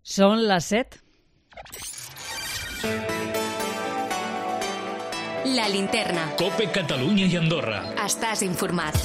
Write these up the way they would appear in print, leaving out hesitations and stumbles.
Són les 7. La linterna. COPE Catalunya i Andorra. Estàs informat.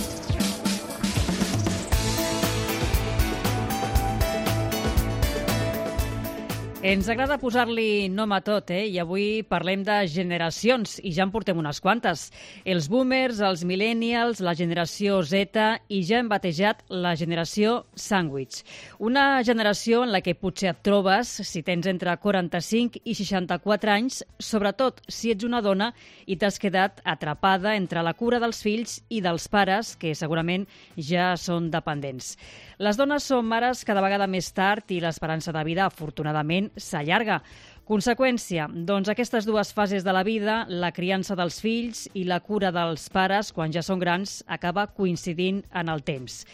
Ens agrada posar-li nom a tot, i avui parlem de generacions, i ja en portem unes quantes. Els boomers, els millennials, la generació Z i ja hem batejat la generació sandwich. Una generació en la que potser et trobes si tens entre 45 i 64 anys, sobretot si ets una dona i t'has quedat atrapada entre la cura dels fills i dels pares, que segurament ja són dependents. Les dones són mares cada vegada més tard i l'esperança de vida, afortunadament, s'allarga. Conseqüència, doncs aquestes dues fases de la vida, la criança dels fills i la cura dels pares, quan ja són grans, acaba coincidint en el temps.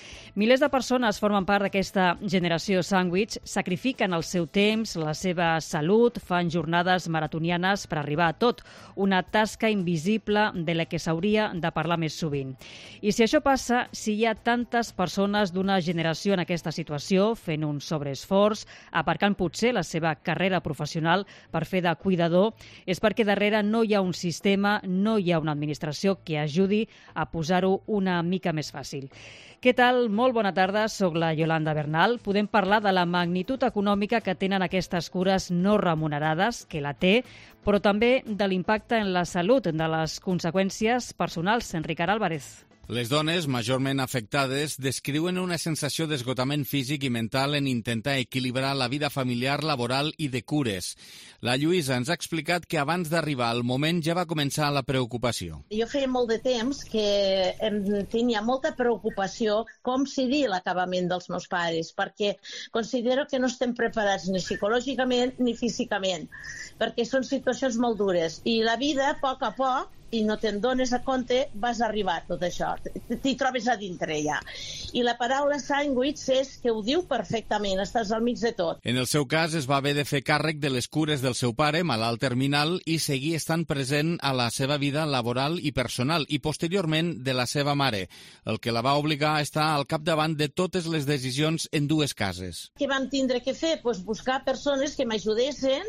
Milers de persones formen part d'aquesta generació sandwich, sacrifiquen el seu temps, la seva salut, fan jornades maratonianes per arribar a tot, una tasca invisible de la que s'hauria de parlar més sovint. I si això passa, si hi ha tantes persones d'una generació en aquesta situació, fent un sobreesforç, aparcant potser la seva carrera professional per fer de cuidador, és perquè darrere no hi ha un sistema, no hi ha una administració que ajudi a posar-ho una mica més fàcil. Què tal? Molt bona tarda, soc la Yolanda Bernal. Podem parlar de la magnitud econòmica que tenen aquestes cures no remunerades, que la té, però també de l'impacte en la salut, de les conseqüències personals. Ricard Álvarez. Les dones, majorment afectades, descriuen una sensació d'esgotament físic i mental en intentar equilibrar la vida familiar, laboral i de cures. La Lluïsa ens ha explicat que abans d'arribar al moment ja va començar la preocupació. Jo feia molt de temps que tenia molta preocupació com seria l'acabament dels meus pares, perquè considero que no estem preparats ni psicològicament ni físicament, perquè són situacions molt dures. I la vida, a poc, i no te'n dones a compte, vas arribar a tot això. T'hi trobes a dintre ja. I la paraula sandwich és que ho diu perfectament, estàs al mig de tot. En el seu cas, es va haver de fer càrrec de les cures del seu pare, malalt terminal, i seguir estant present a la seva vida laboral i personal, i posteriorment de la seva mare, el que la va obligar a estar al capdavant de totes les decisions en dues cases. Què vam tindre que fer? Buscar persones que m'ajudessin.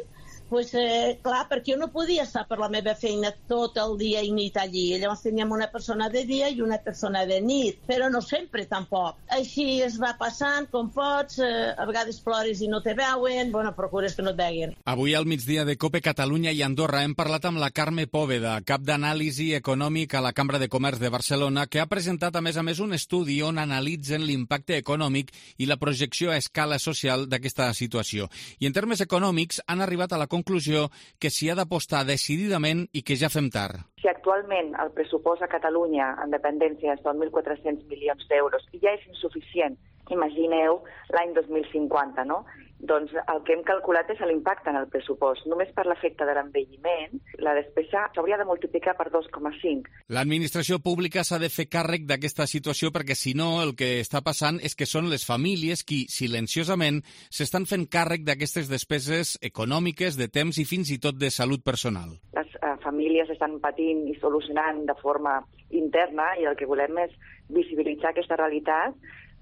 Clar, perquè jo no podia estar per la meva feina tot el dia i nit allí. Llavors teníem una persona de dia i una persona de nit, però no sempre tampoc. Així es va passant, com pots, a vegades plores i no te veuen, procures que no et veguin. Avui al migdia de COPE Catalunya i Andorra hem parlat amb la Carme Pòveda, cap d'anàlisi econòmic a la Cambra de Comerç de Barcelona, que ha presentat a més un estudi on analitzen l'impacte econòmic i la projecció a escala social d'aquesta situació. I en termes econòmics han arribat a la conclusió que s'hi ha d'apostar decididament i que ja fem tard. Si actualment el pressupost a Catalunya en dependència són 1.400 milions d'euros i ja és insuficient, imagineu l'any 2050, no? Doncs el que hem calculat és l'impacte en el pressupost. Només per l'efecte de l'envelliment, la despesa s'hauria de multiplicar per 2,5. L'administració pública s'ha de fer càrrec d'aquesta situació perquè, si no, el que està passant és que són les famílies qui, silenciosament, s'estan fent càrrec d'aquestes despeses econòmiques, de temps i fins i tot de salut personal. Les famílies estan patint i solucionant de forma interna i el que volem és visibilitzar aquesta realitat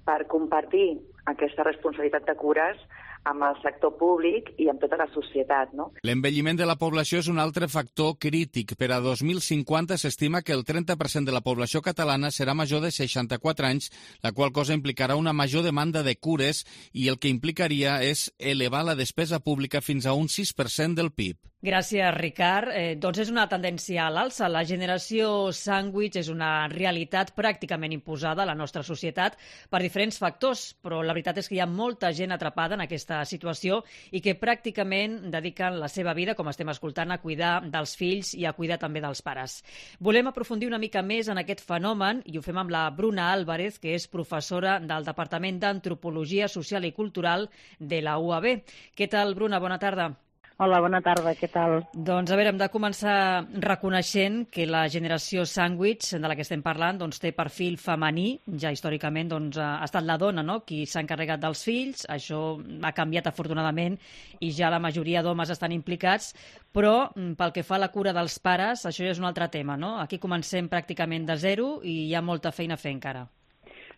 per compartir aquesta responsabilitat de cures amb el sector públic i amb tota la societat, no? L'envelliment de la població és un altre factor crític. Per a 2050 s'estima que el 30% de la població catalana serà major de 64 anys, la qual cosa implicarà una major demanda de cures i el que implicaria és elevar la despesa pública fins a un 6% del PIB. Gràcies, Ricard. Doncs és una tendència a l'alça. La generació sandwich és una realitat pràcticament imposada a la nostra societat per diferents factors, però la veritat és que hi ha molta gent atrapada en aquesta situació i que pràcticament dediquen la seva vida, com estem escoltant, a cuidar dels fills i a cuidar també dels pares. Volem aprofundir una mica més en aquest fenomen i ho fem amb la Bruna Álvarez, que és professora del Departament d'Antropologia Social i Cultural de la UAB. Què tal, Bruna? Bona tarda. Hola, bona tarda, què tal? Doncs, a veure, hem de començar reconeixent que la generació sandwich de la que estem parlant té perfil femení. Ja històricament ha estat la dona, no?, qui s'ha encarregat dels fills. Això ha canviat afortunadament i ja la majoria d'homes estan implicats, però pel que fa a la cura dels pares, això ja és un altre tema, no? Aquí comencem pràcticament de zero i hi ha molta feina a fer encara.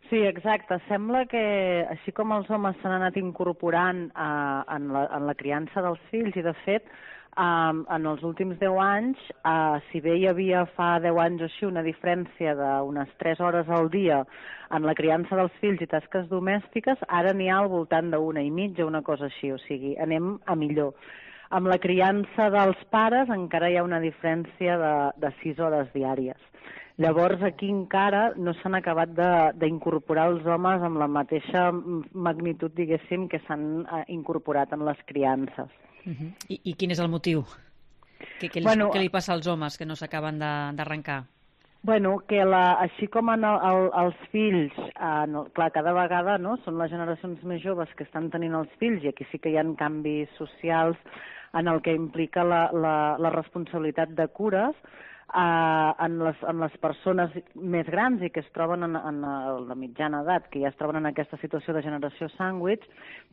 Sí, exacte. Sembla que, així com els homes s'han anat incorporant en la criança dels fills, i de fet, en els últims 10 anys, si bé hi havia fa 10 anys o així una diferència d'unes 3 hores al dia en la criança dels fills i tasques domèstiques, ara n'hi ha al voltant d'1 i mitja, una cosa així, o sigui, anem a millor. Amb la criança dels pares encara hi ha una diferència de 6 hores diàries. Llavors, aquí encara no s'han acabat d'incorporar els homes amb la mateixa magnitud, diguéssim, que s'han incorporat en les criances. I quin és el motiu? Què li passa als homes que no s'acaben d'arrencar? Bueno, que així com els fills, clar, cada vegada són les generacions més joves que estan tenint els fills, i aquí sí que hi ha canvis socials en el que implica la responsabilitat de cures, en les persones més grans i que es troben en la mitjana edat, que ja es troben en aquesta situació de generació sàndwich,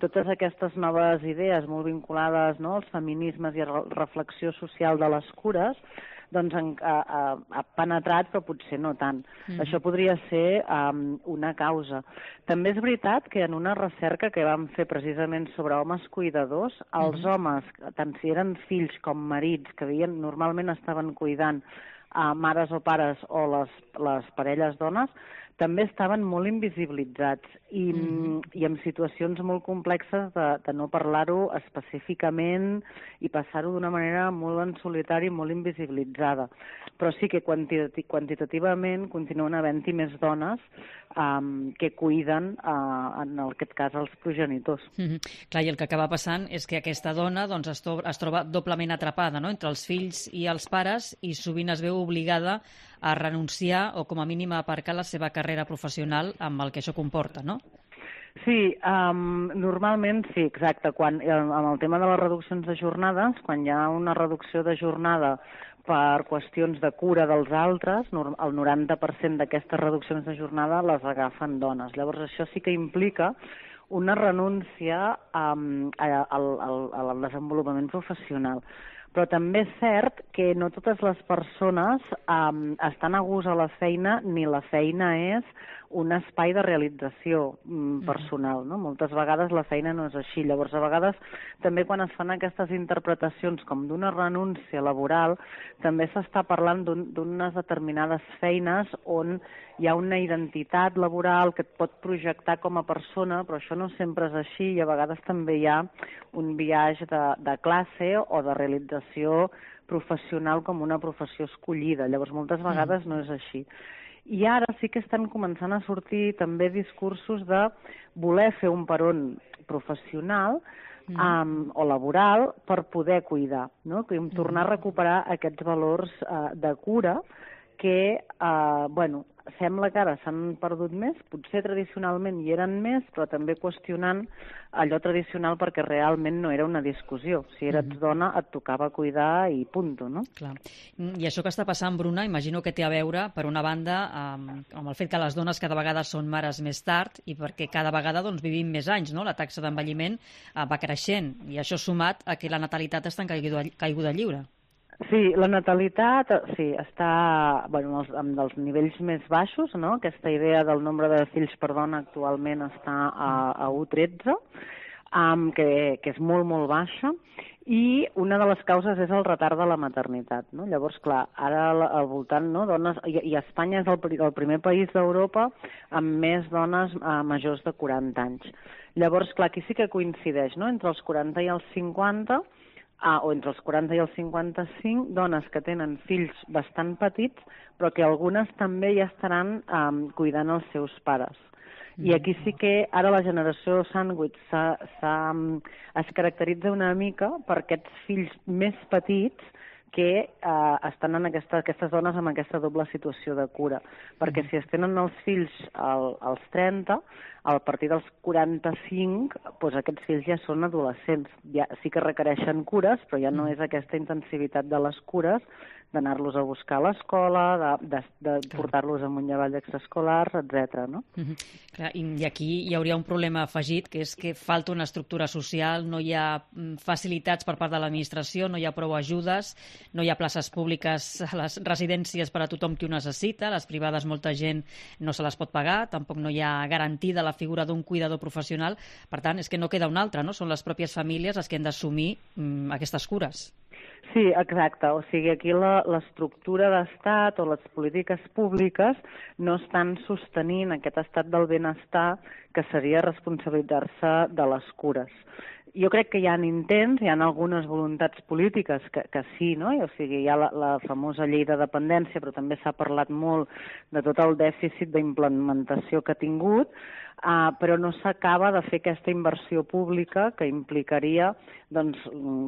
totes aquestes noves idees molt vinculades als feminismes i a la reflexió social de les cures, doncs ha penetrat, però potser no tant. Això podria ser una causa. També és veritat que en una recerca que vam fer precisament sobre homes cuidadors, els homes, tant si eren fills com marits, que normalment estaven cuidant mares o pares o les parelles dones, també estaven molt invisibilitzats i en situacions molt complexes de no parlar-ho específicament i passar-ho d'una manera molt en solitari, molt invisibilitzada. Però sí que quantitativament continuen havent-hi més dones que cuiden, en aquest cas, els progenitors. Clar, i el que acaba passant és que aquesta dona es troba doblement atrapada, no?, entre els fills i els pares, i sovint es veu obligada a renunciar o com a mínim a aparcar la seva carrera professional amb el que això comporta, no? Sí, normalment sí, exacte. Amb el tema de les reduccions de jornades, quan hi ha una reducció de jornada per qüestions de cura dels altres, el 90% d'aquestes reduccions de jornada les agafen dones. Llavors això sí que implica una renúncia al desenvolupament professional. Però també és cert que no totes les persones estan a gust a la feina, ni la feina és un espai de realització personal, no? Moltes vegades la feina no és així. Llavors, a vegades, també quan es fan aquestes interpretacions com d'una renúncia laboral, també s'està parlant d'unes determinades feines on hi ha una identitat laboral que et pot projectar com a persona, però això no sempre és així, i a vegades també hi ha un biaix de classe o de realització professional com una professió escollida. Llavors, moltes vegades no és així. I ara sí que estan començant a sortir també discursos de voler fer un peron professional o laboral per poder cuidar, no? Tornar a recuperar aquests valors de cura que, sembla que ara s'han perdut més, potser tradicionalment hi eren més, però també qüestionant allò tradicional perquè realment no era una discussió. Si eres dona et tocava cuidar i punto, no? Clar. I això que està passant, Bruna, imagino que té a veure, per una banda, amb el fet que les dones cada vegada són mares més tard i perquè cada vegada vivim més anys, no? La taxa d'envelliment va creixent i això sumat a que la natalitat està en caiguda lliure. Sí, la natalitat està amb els nivells més baixos, no? Aquesta idea del nombre de fills per dona actualment està a 1,13, que és molt, molt baixa, i una de les causes és el retard de la maternitat, no? Llavors, clar, ara al voltant, no, dones, i Espanya és el primer país d'Europa amb més dones majors de 40 anys. Llavors, clar, aquí sí que coincideix, no?, entre els 40 i els 50, o entre els 40 i els 55, dones que tenen fills bastant petits, però que algunes també ja estaran cuidant els seus pares. I aquí sí que ara la generació sàndwich es caracteritza una mica per aquests fills més petits que estan en aquestes dones amb aquesta doble situació de cura. Perquè si es tenen els fills als 30, a partir dels 45, doncs aquests fills ja són adolescents. Ja sí que requereixen cures, però ja no és aquesta intensivitat de les cures d'anar-los a buscar a l'escola, de portar-los amunt i avall d'extraescolars, etc. No? Clar, i aquí hi hauria un problema afegit, que és que falta una estructura social, no hi ha facilitats per part de l'administració, no hi ha prou ajudes, no hi ha places públiques a les residències per a tothom qui ho necessita, les privades molta gent no se les pot pagar, tampoc no hi ha garantida la figura d'un cuidador professional, per tant, és que no queda una altra, no? Són les pròpies famílies les que han d'assumir aquestes cures. Sí, exacte. O sigui, aquí l'estructura d'estat o les polítiques públiques no estan sostenint aquest estat del benestar que seria responsabilitzar-se de les cures. Jo crec que hi ha intents, hi ha algunes voluntats polítiques que sí, no? O sigui, hi ha la famosa llei de dependència, però també s'ha parlat molt de tot el dèficit d'implementació que ha tingut, però no s'acaba de fer aquesta inversió pública que implicaria doncs,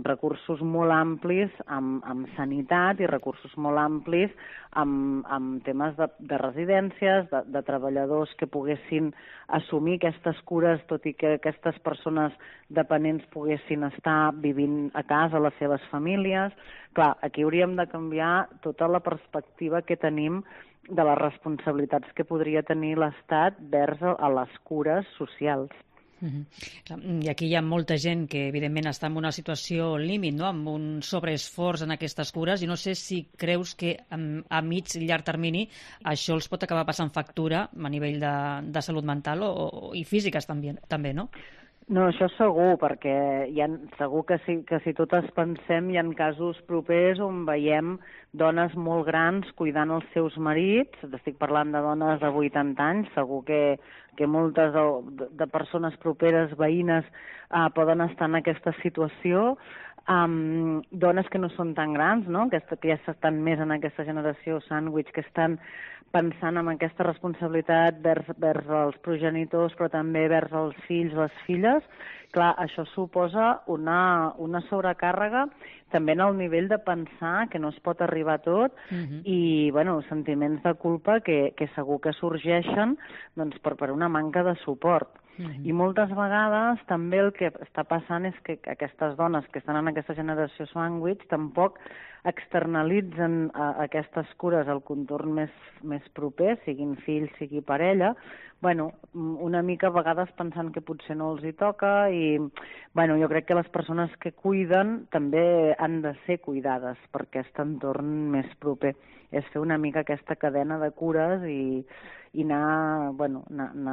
recursos molt amplis amb sanitat i recursos molt amplis amb temes de residències, de treballadors que poguessin assumir aquestes cures, tot i que aquestes persones dependents poguessin estar vivint a casa, les seves famílies. Clar, aquí hauríem de canviar tota la perspectiva que tenim de les responsabilitats que podria tenir l'Estat vers a les cures socials. I aquí hi ha molta gent que, evidentment, està en una situació límit, no? Amb un sobreesforç en aquestes cures, i no sé si creus que a mig i llarg termini això els pot acabar passant factura a nivell de salut mental i físiques també, no? No, això segur, perquè segur que si totes pensem hi ha casos propers on veiem dones molt grans cuidant els seus marits, estic parlant de dones de 80 anys, segur que moltes de persones properes, veïnes, poden estar en aquesta situació, dones que no són tan grans, no? que ja estan més en aquesta generació sàndwich, que estan pensant en aquesta responsabilitat vers els progenitors, però també vers els fills, les filles. Clar, això suposa una sobrecàrrega també en el nivell de pensar que no es pot arribar a tot i, bueno, sentiments de culpa que segur que sorgeixen doncs, per una manca de suport. I moltes vegades també el que està passant és que aquestes dones que estan en aquesta generació sandwich tampoc externalitzen aquestes cures al contorn més proper, siguin fills, sigui parella, bueno, una mica a vegades pensant que potser no els hi toca i bueno, jo crec que les persones que cuiden també han de ser cuidades per aquest entorn més proper. És fer una mica aquesta cadena de cures i anar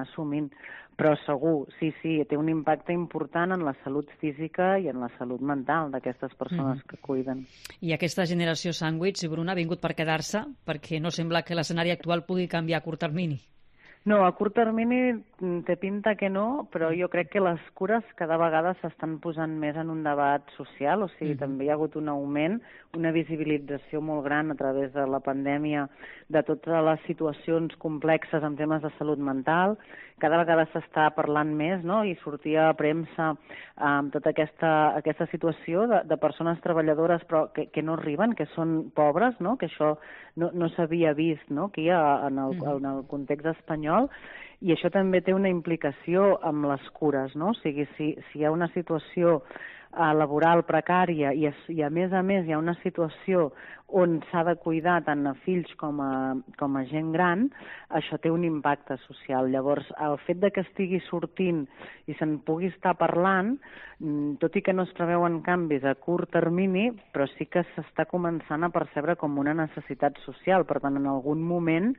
assumint. Però segur, sí, té un impacte important en la salut física i en la salut mental d'aquestes persones que cuiden. I aquesta generació sàndwich, Bruna, ha vingut per quedar-se perquè no sembla que l'escenari actual pugui canviar a curt termini. No, a curt termini té pinta que no, però jo crec que les cures cada vegada s'estan posant més en un debat social, o sigui, també hi ha hagut un augment, una visibilització molt gran a través de la pandèmia de totes les situacions complexes en temes de salut mental. Cada vegada s'està parlant més, no?, i sortia a premsa amb tota aquesta situació de persones treballadores però que no arriben, que són pobres, no?, que això no s'havia vist, no?, aquí en el context espanyol, i això també té una implicació amb les cures, no? O sigui, si hi ha una situació laboral precària i a més hi ha una situació on s'ha de cuidar tant a fills com a gent gran, això té un impacte social. Llavors, el fet de que estigui sortint i se'n pugui estar parlant, tot i que no es preveuen canvis a curt termini, però sí que s'està començant a percebre com una necessitat social. Per tant, en algun moment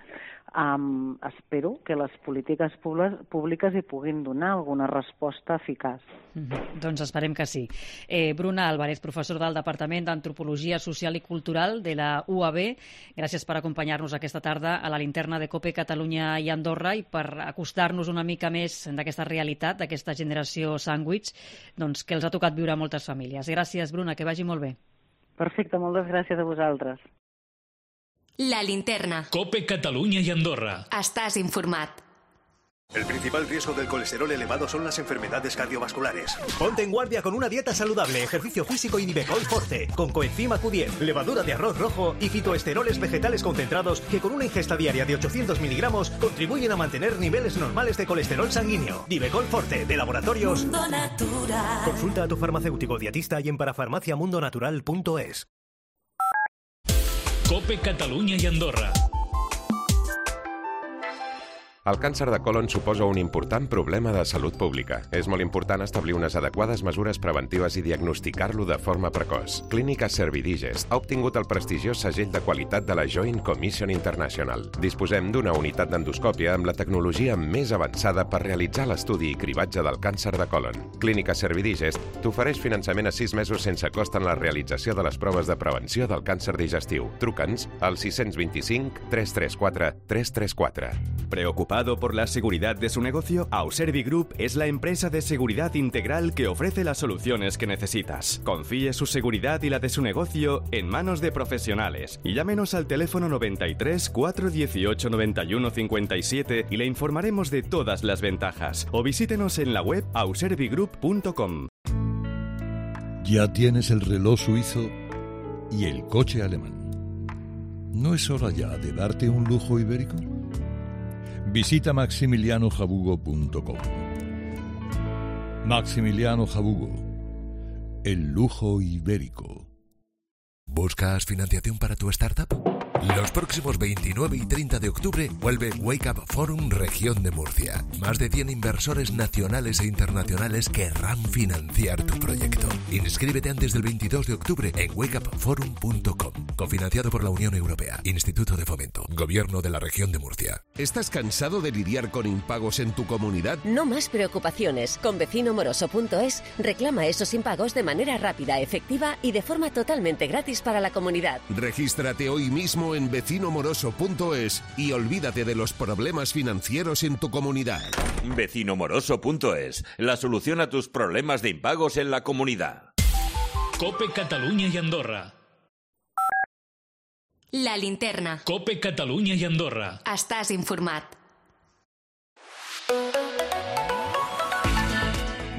espero que les polítiques públiques hi puguin donar alguna resposta eficaç. Doncs esperem que sí. Bruna Álvarez, professor del Departament d'Antropologia Social i Cultural de la UAB, gràcies per acompanyar-nos aquesta tarda a la linterna de COPE Catalunya i Andorra i per acostar-nos una mica més d'aquesta realitat, d'aquesta generació sàndwich, doncs, que els ha tocat viure a moltes famílies. Gràcies, Bruna, que vagi molt bé. Perfecte, moltes gràcies a vosaltres. La linterna. COPE Catalunya i Andorra. Estàs informat. El principal riesgo del colesterol elevado son las enfermedades cardiovasculares. Ponte en guardia con una dieta saludable, ejercicio físico y Divecol Forte, con coenzima Q10, levadura de arroz rojo y fitoesteroles vegetales concentrados que con una ingesta diaria de 800 miligramos contribuyen a mantener niveles normales de colesterol sanguíneo. Divecol Forte, de Laboratorios Mundo Natural. Consulta a tu farmacéutico dietista y en parafarmaciamundonatural.es. COPE Catalunya i Andorra. El càncer de colon suposa un important problema de salut pública. És molt important establir unes adequades mesures preventives i diagnosticar-lo de forma precoç. Clínica Servidigest ha obtingut el prestigiós segell de qualitat de la Joint Commission International. Disposem d'una unitat d'endoscòpia amb la tecnologia més avançada per realitzar l'estudi i cribatge del càncer de colon. Clínica Servidigest t'ofereix finançament a 6 mesos sense cost en la realització de les proves de prevenció del càncer digestiu. Truca'ns al 625 334 334. ¿Preocupado por la seguridad de su negocio? Auservi Group es la empresa de seguridad integral que ofrece las soluciones que necesitas. Confíe su seguridad y la de su negocio en manos de profesionales y llámenos al teléfono 93 418 91 57 y le informaremos de todas las ventajas. O visítenos en la web auservigroup.com. Ya tienes el reloj suizo y el coche alemán. ¿No es hora ya de darte un lujo ibérico? Visita maximilianojabugo.com. Maximiliano Jabugo, el lujo ibérico. ¿Buscas financiación para tu startup? Los próximos 29 y 30 de octubre vuelve Wake Up Forum Región de Murcia. Más de 100 inversores nacionales e internacionales querrán financiar tu proyecto. Inscríbete antes del 22 de octubre en wakeupforum.com. Cofinanciado por la Unión Europea, Instituto de Fomento, Gobierno de la Región de Murcia. ¿Estás cansado de lidiar con impagos en tu comunidad? No más preocupaciones. Con vecinomoroso.es reclama esos impagos de manera rápida, efectiva y de forma totalmente gratis para la comunidad. Regístrate hoy mismo en vecinomoroso.es y olvídate de los problemas financieros en tu comunidad. Vecinomoroso.es, la solución a tus problemas de impagos en la comunidad. COPE Catalunya i Andorra. La linterna. COPE Catalunya i Andorra. Estàs informat.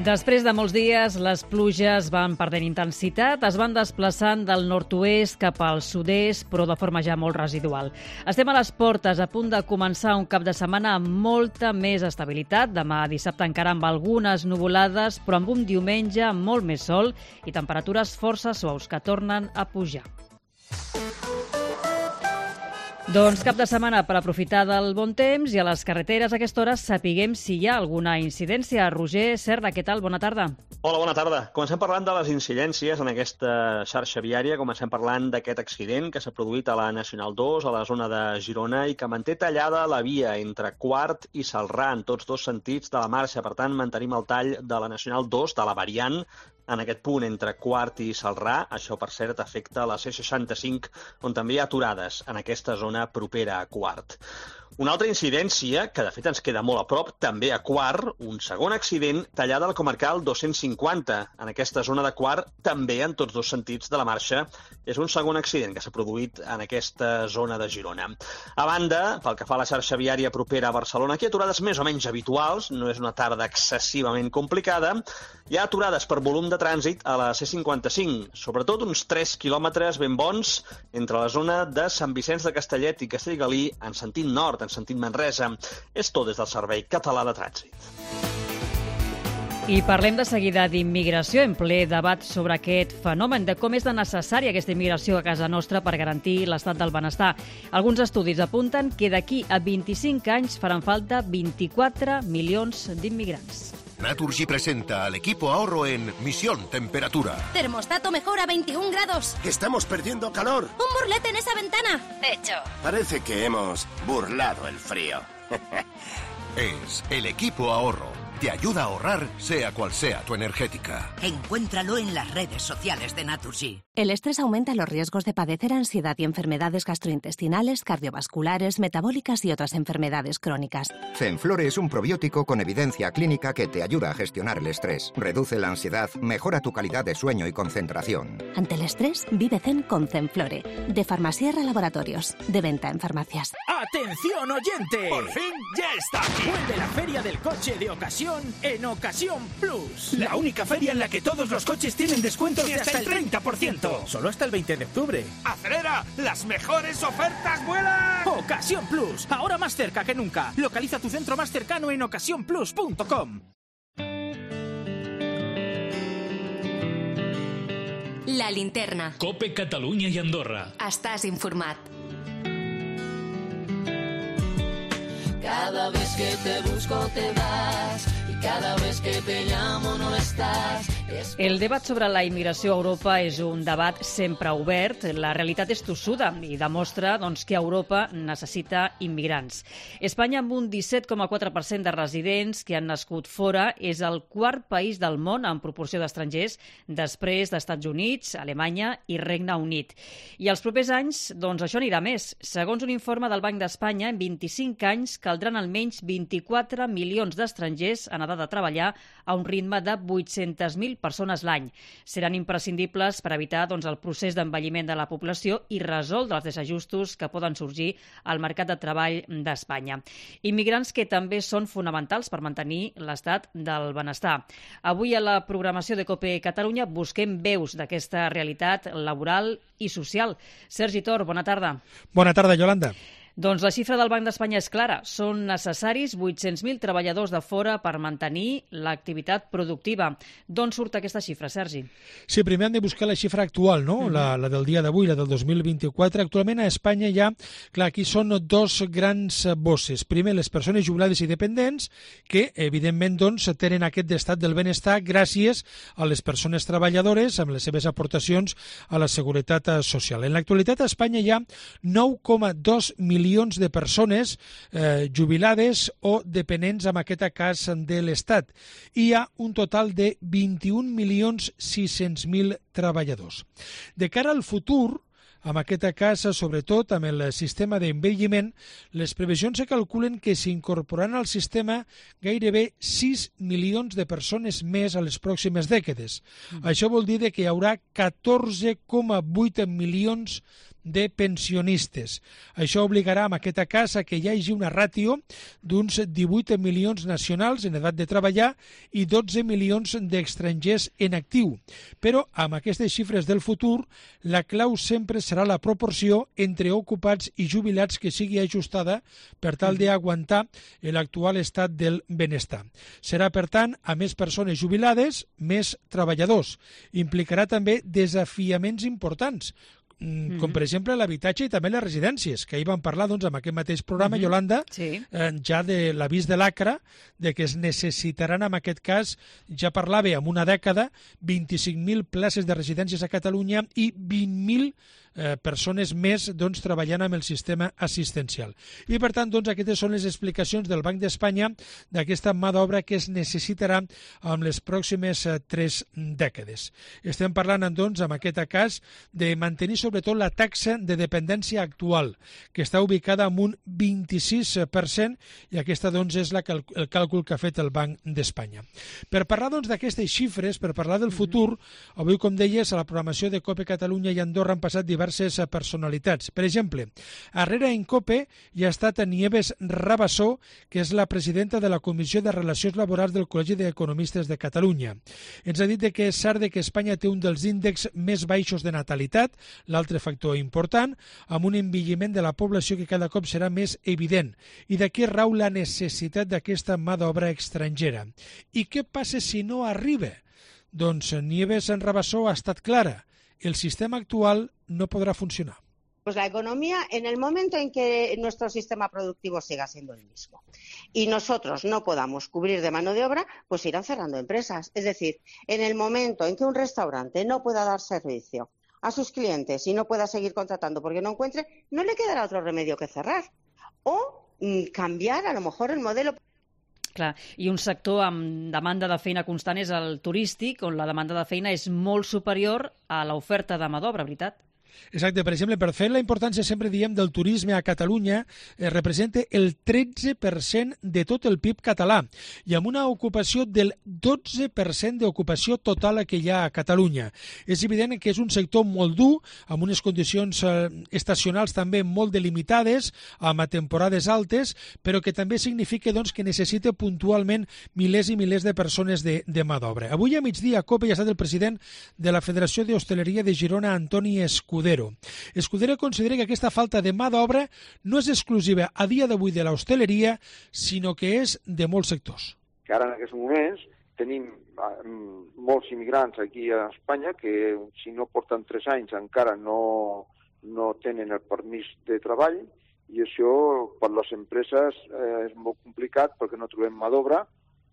Després de molts dies, les pluges van perdent intensitat, es van desplaçant del nord-oest cap al sud-est, però de forma ja molt residual. Estem a les portes, a punt de començar un cap de setmana amb molta més estabilitat. Demà dissabte encara amb algunes nuvolades, però amb un diumenge amb molt més sol i temperatures força suaus que tornen a pujar. Doncs cap de setmana per aprofitar del bon temps i a les carreteres a aquesta hora sapiguem si hi ha alguna incidència. Roger Serra, què tal? Bona tarda. Hola, bona tarda. Comencem parlant de les incidències en aquesta xarxa viària. Comencem parlant d'aquest accident que s'ha produït a la Nacional 2, a la zona de Girona, i que manté tallada la via entre Quart i Celrà en tots dos sentits de la marxa. Per tant, mantenim el tall de la Nacional 2, de la variant, en aquest punt entre Quart i Celrà. Això, per cert, afecta la C65, on també hi ha aturades en aquesta zona propera a Quart. Una altra incidència, que de fet ens queda molt a prop, també a Quart, un segon accident tallada al comarcal 250. En aquesta zona de Quart, també en tots dos sentits de la marxa, és un segon accident que s'ha produït en aquesta zona de Girona. A banda, pel que fa a la xarxa viària propera a Barcelona, aquí hi ha aturades més o menys habituals, no és una tarda excessivament complicada. Hi ha aturades per volum de trànsit a la C55, sobretot uns 3 quilòmetres ben bons entre la zona de Sant Vicenç de Castellet i Castellgalí en sentit nord, en sentit Manresa. És tot des del Servei Català de Trànsit. I parlem de seguida d'immigració, en ple debat sobre aquest fenomen, de com és de necessària aquesta immigració a casa nostra per garantir l'estat del benestar. Alguns estudis apunten que d'aquí a 25 anys faran falta 24 milions d'immigrants. Naturgy presenta al equipo ahorro en Misión Temperatura. Termostato mejor a 21 grados. Estamos perdiendo calor. Un burlete en esa ventana. Hecho. Parece que hemos burlado el frío. Es el equipo ahorro. Te ayuda a ahorrar, sea cual sea tu energética. Encuéntralo en las redes sociales de Naturgy. El estrés aumenta los riesgos de padecer ansiedad y enfermedades gastrointestinales, cardiovasculares, metabólicas y otras enfermedades crónicas. Zenflore es un probiótico con evidencia clínica que te ayuda a gestionar el estrés, reduce la ansiedad, mejora tu calidad de sueño y concentración. Ante el estrés, vive zen con Zenflore, de Farmasierra Laboratorios, de venta en farmacias. ¡Atención, oyente! ¡Por fin ya está aquí! Vuelve la Feria del Coche de Ocasión en Ocasión Plus. La única feria en la que todos los coches tienen descuentos de hasta el 30%. Solo hasta el 20 de octubre. ¡Acelera! ¡Las mejores ofertas vuelan! Ocasión Plus, ahora más cerca que nunca. Localiza tu centro más cercano en ocasiónplus.com. La Linterna. Cope Catalunya i Andorra. Estàs informat. Cada vez que te busco te vas y cada vez que te llamo no estás. El debat sobre la immigració a Europa és un debat sempre obert. La realitat és tossuda i demostra que Europa necessita immigrants. Espanya, amb un 17,4% de residents que han nascut fora, és el quart país del món en proporció d'estrangers, després d'Estats Units, Alemanya i Regne Unit. I els propers anys, això anirà més. Segons un informe del Banc d'Espanya, en 25 anys caldran almenys 24 milions d'estrangers en edat de treballar a un ritme de 800.000 persones l'any. Seran imprescindibles per evitar el procés d'envelliment de la població i resoldre els desajustos que poden sorgir al mercat de treball d'Espanya. Immigrants que també són fonamentals per mantenir l'estat del benestar. Avui a la programació de COPE Catalunya busquem veus d'aquesta realitat laboral i social. Sergi Tor, bona tarda. Bona tarda, Yolanda. Doncs la xifra del Banc d'Espanya és clara. Són necessaris 800.000 treballadors de fora per mantenir l'activitat productiva. D'on surt aquesta xifra, Sergi? Sí, primer hem de buscar la xifra actual, no? La del dia d'avui, la del 2024. Actualment a Espanya hi ha, aquí són dos grans bosses. Primer, les persones jubilades i dependents, que evidentment tenen aquest estat del benestar gràcies a les persones treballadores amb les seves aportacions a la seguretat social. En l'actualitat a Espanya hi ha 9,2 milions de persones jubilades o dependents, en aquest cas, de l'Estat. Hi ha un total de 21.600.000 treballadors. De cara al futur, en aquest cas, sobretot amb el sistema d'envelliment, les previsions se calculen que s'incorporaran al sistema gairebé 6 milions de persones més a les pròximes dècades. Això vol dir que hi haurà 14,8 milions de pensionistes. Això obligarà en aquest cas a que hi hagi una ràtio d'uns 18 milions nacionals en edat de treballar i 12 milions d'estrangers en actiu. Però amb aquestes xifres del futur, la clau sempre serà la proporció entre ocupats i jubilats que sigui ajustada per tal d'aguantar l'actual estat del benestar. Serà, per tant, a més persones jubilades, més treballadors. Implicarà també desafiaments importants, com per exemple l'habitatge i també les residències, que ahir vam parlar en aquest mateix programa, Yolanda, ja de l'avís de l'ACRA, de que es necessitaran en aquest cas, ja parlava en una dècada, 25.000 places de residències a Catalunya i 20.000 persones més treballant amb el sistema assistencial. I per tant, aquestes són les explicacions del Banc d'Espanya d'aquesta mà d'obra que es necessitarà en les pròximes 3 dècades. Estem parlant, en aquest cas, de mantenir sobretot la taxa de dependència actual, que està ubicada en un 26%, i aquesta és el càlcul que ha fet el Banc d'Espanya. Per parlar d'aquestes xifres, per parlar del futur, avui, com deies, a la programació de COPE Catalunya i Andorra han passat diverses personalitats. Per exemple, darrere en COPE hi ha estat Nieves Rabassó, que és la presidenta de la Comissió de Relacions Laborals del Col·legi d'Economistes de Catalunya. Ens ha dit que és cert que Espanya té un dels índexs més baixos de natalitat, l'altre factor important, amb un envelliment de la població que cada cop serà més evident. I d'aquí rau la necessitat d'aquesta mà d'obra estrangera. I què passa si no arriba? Doncs Nieves Rabassó ha estat clara. El sistema actual no podrá funcionar. Pues la economía, en el momento en que nuestro sistema productivo siga siendo el mismo y nosotros no podamos cubrir de mano de obra, pues irán cerrando empresas. Es decir, en el momento en que un restaurante no pueda dar servicio a sus clientes y no pueda seguir contratando porque no encuentre, no le quedará otro remedio que cerrar o cambiar a lo mejor el modelo. Clar, i un sector amb demanda de feina constant és el turístic, on la demanda de feina és molt superior a l'oferta de mà d'obra, veritat? Exacte, per exemple, per fer la importància, sempre diem, del turisme a Catalunya, representa el 13% de tot el PIB català i amb una ocupació del 12% d'ocupació total que hi ha a Catalunya. És evident que és un sector molt dur, amb unes condicions estacionals també molt delimitades, amb temporades altes, però que també significa que necessita puntualment milers i milers de persones de mà d'obra. Avui a migdia a COPE hi ha estat el president de la Federació d'Hostaleria de Girona, Antoni Escudero. Escudero considera que aquesta falta de mà d'obra no és exclusiva a dia d'avui de l'hostaleria, sinó que és de molts sectors. Que ara en aquests moments tenim molts immigrants aquí a Espanya que si no porten 3 anys encara no tenen el permís de treball, i això per les empreses és molt complicat perquè no trobem mà d'obra,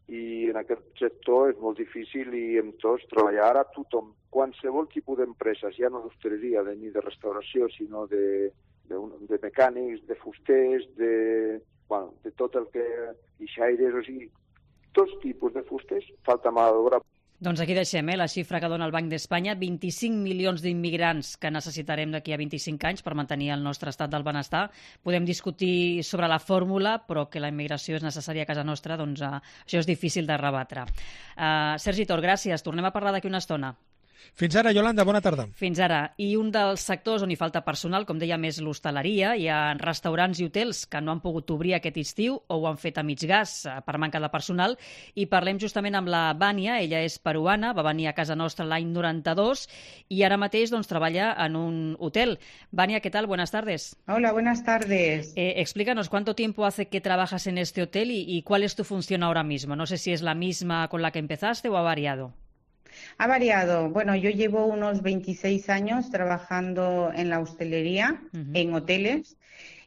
i en aquest sector és molt difícil i en tots treballar. Ara tothom, qualsevol tipus d'empreses, ja no d'hostaleria ni de restauració, sinó de mecànics, de fusters, de tot el que... guixaires, o sigui, tots tipus de fusters, falta mà d'obra. Doncs aquí deixem la xifra que dona el Banc d'Espanya, 25 milions d'immigrants que necessitarem d'aquí a 25 anys per mantenir el nostre estat del benestar. Podem discutir sobre la fórmula, però que la immigració és necessària a casa nostra, doncs això és difícil de rebatre. Sergi Tor, gràcies. Tornem a parlar d'aquí una estona. Fins ara, Yolanda, bona tarda. Fins ara. I un dels sectors on hi falta personal, com dèiem, és l'hostaleria. Hi ha restaurants i hotels que no han pogut obrir aquest estiu o ho han fet a mig gas per manca de personal. I parlem justament amb la Vània, ella és peruana, va venir a casa nostra l'any 92 i ara mateix treballa en un hotel. Vània, ¿qué tal? Buenas tardes. Hola, buenas tardes. Explícanos, ¿cuánto tiempo hace que trabajas en este hotel y cuál es tu función ahora mismo? No sé si es la misma con la que empezaste o ha variado. Ha variado. Bueno, yo llevo unos 26 años trabajando en la hostelería, en hoteles,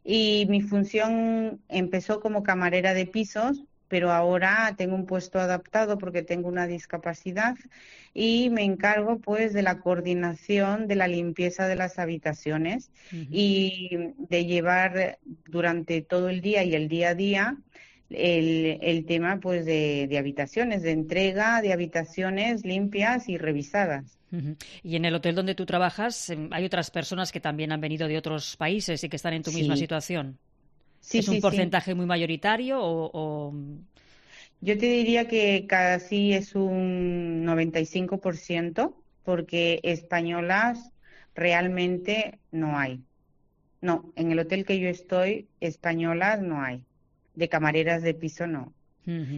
y mi función empezó como camarera de pisos, pero ahora tengo un puesto adaptado porque tengo una discapacidad y me encargo pues de la coordinación de la limpieza de las habitaciones y de llevar durante todo el día y el día a día el tema pues de habitaciones, de entrega de habitaciones limpias y revisadas. Y en el hotel donde tú trabajas hay otras personas que también han venido de otros países y que están en tu misma situación. Sí, ¿Es un porcentaje muy mayoritario o...? Yo te diría que casi es un 95%, porque españolas realmente no hay. No, en el hotel que yo estoy, españolas no hay. De camareras de piso no.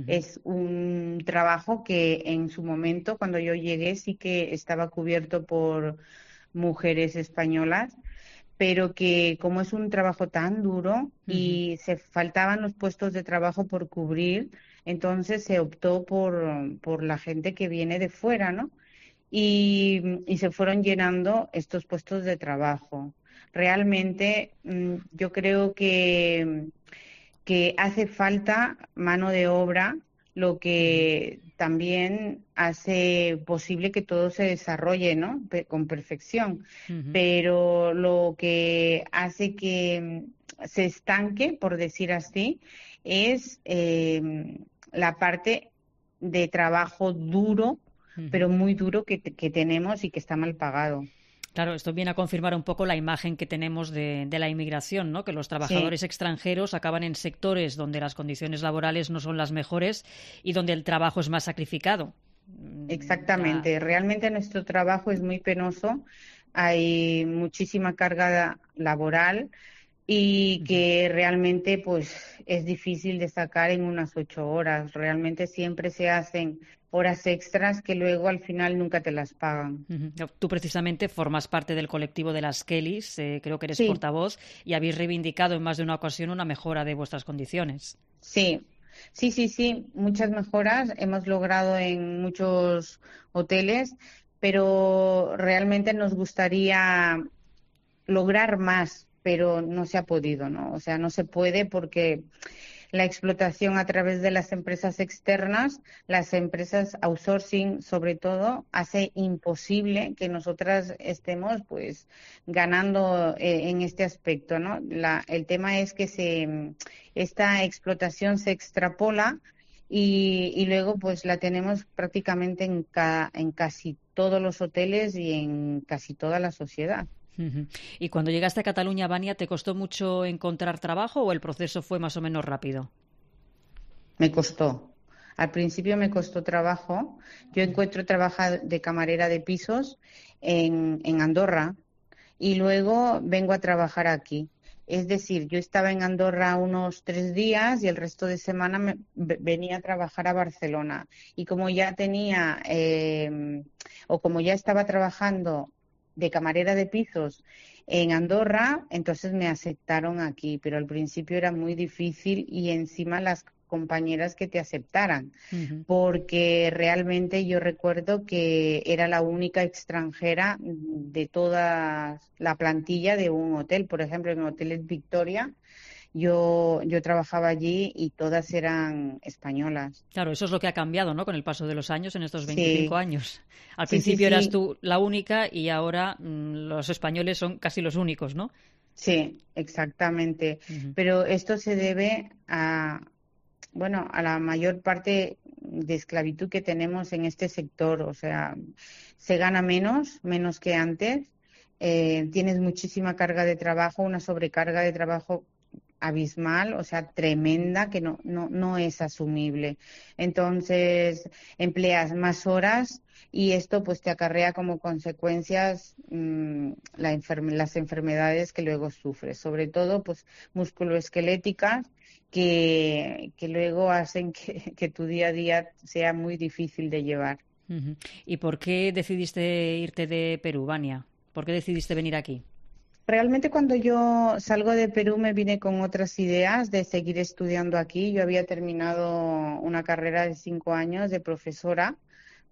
Es un trabajo que en su momento, cuando yo llegué, sí que estaba cubierto por mujeres españolas, pero que como es un trabajo tan duro y se faltaban los puestos de trabajo por cubrir, entonces se optó por la gente que viene de fuera, ¿no? Y se fueron llenando estos puestos de trabajo. Realmente yo creo que hace falta mano de obra, lo que también hace posible que todo se desarrolle, ¿no? Con perfección. Pero lo que hace que se estanque, por decir así, es la parte de trabajo duro, pero muy duro que tenemos y que está mal pagado. Claro, esto viene a confirmar un poco la imagen que tenemos de la inmigración, ¿no? Que los trabajadores extranjeros acaban en sectores donde las condiciones laborales no son las mejores y donde el trabajo es más sacrificado. Exactamente. Realmente nuestro trabajo es muy penoso. Hay muchísima carga laboral y que realmente pues es difícil de sacar en unas 8 horas. Realmente siempre se hacen horas extras que luego al final nunca te las pagan. Tú precisamente formas parte del colectivo de las Kellys, creo que eres portavoz, y habéis reivindicado en más de una ocasión una mejora de vuestras condiciones. Sí, muchas mejoras hemos logrado en muchos hoteles, pero realmente nos gustaría lograr más, pero no se ha podido, ¿no? O sea, no se puede porque la explotación a través de las empresas externas, las empresas outsourcing sobre todo, hace imposible que nosotras estemos pues ganando en este aspecto, ¿no? El tema es que esta explotación se extrapola y luego pues la tenemos prácticamente en casi todos los hoteles y en casi toda la sociedad. ¿Y cuando llegaste a Cataluña, Vania, te costó mucho encontrar trabajo o el proceso fue más o menos rápido? Me costó. Al principio me costó trabajo. Yo encuentro trabajo de camarera de pisos en Andorra y luego vengo a trabajar aquí. Es decir, yo estaba en Andorra unos 3 días y el resto de semana venía a trabajar a Barcelona. Y como ya tenía, como ya estaba trabajando de camarera de pisos en Andorra, entonces me aceptaron aquí, pero al principio era muy difícil y encima las compañeras que te aceptaran, porque realmente yo recuerdo que era la única extranjera de toda la plantilla de un hotel. Por ejemplo, en Hoteles Victoria, yo trabajaba allí y todas eran españolas. Claro, eso es lo que ha cambiado, ¿no?, con el paso de los años, en estos 25 años. Al principio sí. eras tú la única y ahora los españoles son casi los únicos, ¿no? Sí, exactamente. Pero esto se debe a la mayor parte de esclavitud que tenemos en este sector. O sea, se gana menos que antes. Tienes muchísima carga de trabajo, una sobrecarga de trabajo abismal, o sea, tremenda, que no es asumible. Entonces, empleas más horas y esto pues te acarrea como consecuencias las enfermedades que luego sufres, sobre todo pues musculoesqueléticas que luego hacen que tu día a día sea muy difícil de llevar. ¿Y por qué decidiste irte de Perú, Vania? ¿Por qué decidiste venir aquí? Realmente cuando yo salgo de Perú me vine con otras ideas de seguir estudiando aquí. Yo había terminado una carrera de 5 años de profesora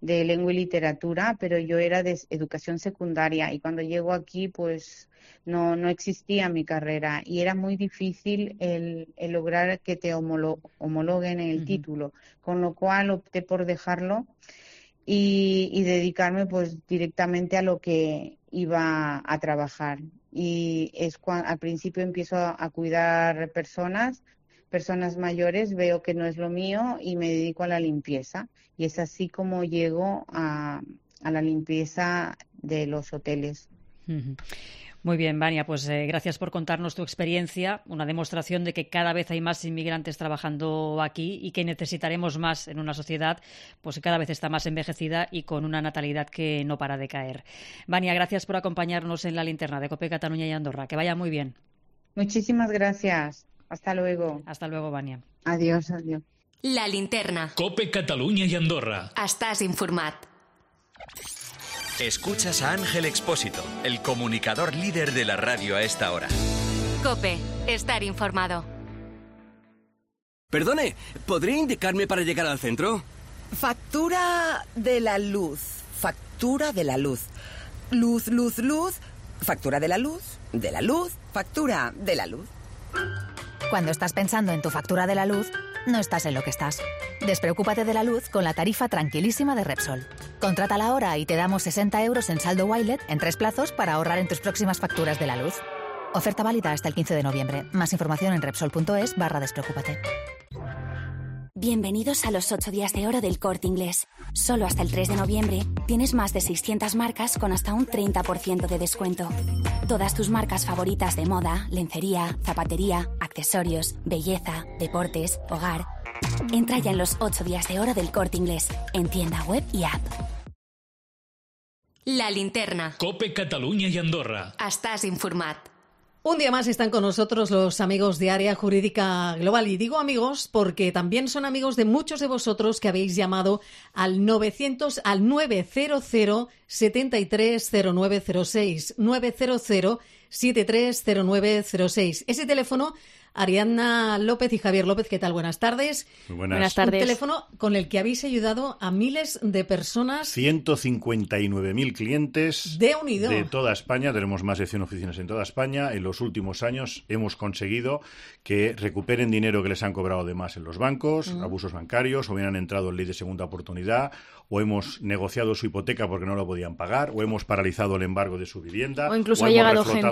de lengua y literatura, pero yo era de educación secundaria y cuando llego aquí pues no existía mi carrera y era muy difícil el lograr que te homologuen el título, con lo cual opté por dejarlo y dedicarme pues directamente a lo que iba a trabajar. Y es cuando al principio empiezo a cuidar personas mayores, veo que no es lo mío y me dedico a la limpieza. Y es así como llego a la limpieza de los hoteles. Muy bien, Vania, pues gracias por contarnos tu experiencia, una demostración de que cada vez hay más inmigrantes trabajando aquí y que necesitaremos más en una sociedad pues que cada vez está más envejecida y con una natalidad que no para de caer. Vania, gracias por acompañarnos en la linterna de COPE Cataluña y Andorra. Que vaya muy bien. Muchísimas gracias. Hasta luego. Hasta luego, Vania. Adiós. La linterna. COPE Cataluña y Andorra. Estàs informat. Escuchas a Ángel Expósito, el comunicador líder de la radio a esta hora. COPE. Estar informado. Perdone, ¿podría indicarme para llegar al centro? Factura de la luz. Factura de la luz. Luz. Factura de la luz. De la luz. Factura de la luz. Cuando estás pensando en tu factura de la luz, no estás en lo que estás. Despreocúpate de la luz con la tarifa tranquilísima de Repsol. Contrátala ahora y te damos 60 euros en saldo Wilet en 3 plazos para ahorrar en tus próximas facturas de la luz. Oferta válida hasta el 15 de noviembre. Más información en Repsol.es/despreocúpate. Bienvenidos a los 8 días de oro del Corte Inglés. Solo hasta el 3 de noviembre tienes más de 600 marcas con hasta un 30% de descuento. Todas tus marcas favoritas de moda, lencería, zapatería, accesorios, belleza, deportes, hogar. Entra ya en los 8 días de oro del Corte Inglés, en tienda web y app. La linterna. COPE Cataluña y Andorra. Estàs informat. Un día más están con nosotros los amigos de Área Jurídica Global. Y digo amigos porque también son amigos de muchos de vosotros que habéis llamado al 900 730906. 900 730906. Ese teléfono, Ariadna López y Javier López, ¿qué tal? Buenas tardes. Muy buenas tardes. Un teléfono con el que habéis ayudado a miles de personas. 159.000 clientes de unido de toda España. Tenemos más de 100 oficinas en toda España. En los últimos años hemos conseguido que recuperen dinero que les han cobrado de más en los bancos, abusos bancarios, o bien han entrado en ley de segunda oportunidad, o hemos negociado su hipoteca porque no lo podían pagar, o hemos paralizado el embargo de su vivienda, o incluso ha llegado gente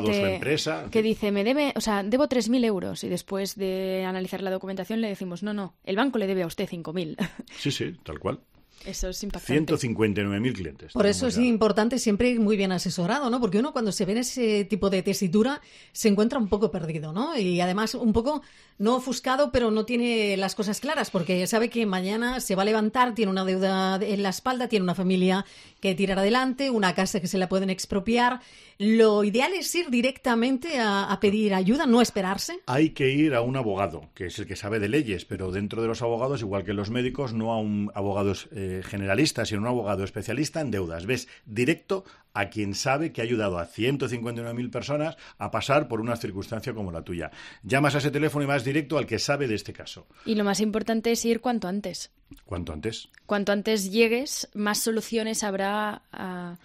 que dice, debo 3.000 euros, y después de analizar la documentación le decimos, no, el banco le debe a usted 5.000. Sí, tal cual. Eso es impactante. 159.000 clientes. Por eso es importante siempre ir muy bien asesorado, ¿no? Porque uno cuando se ve en ese tipo de tesitura se encuentra un poco perdido, ¿no? Y además un poco no ofuscado, pero no tiene las cosas claras, porque sabe que mañana se va a levantar, tiene una deuda en la espalda, tiene una familia que tirar adelante, una casa que se la pueden expropiar. Lo ideal es ir directamente a pedir ayuda, no esperarse. Hay que ir a un abogado, que es el que sabe de leyes, pero dentro de los abogados, igual que los médicos, no a un abogado generalista, sino un abogado especialista en deudas. Ves directo a quien sabe que ha ayudado a 159.000 personas a pasar por una circunstancia como la tuya. Llamas a ese teléfono y vas directo al que sabe de este caso. Y lo más importante es ir cuanto antes. ¿Cuánto antes? Cuanto antes llegues, más soluciones habrá a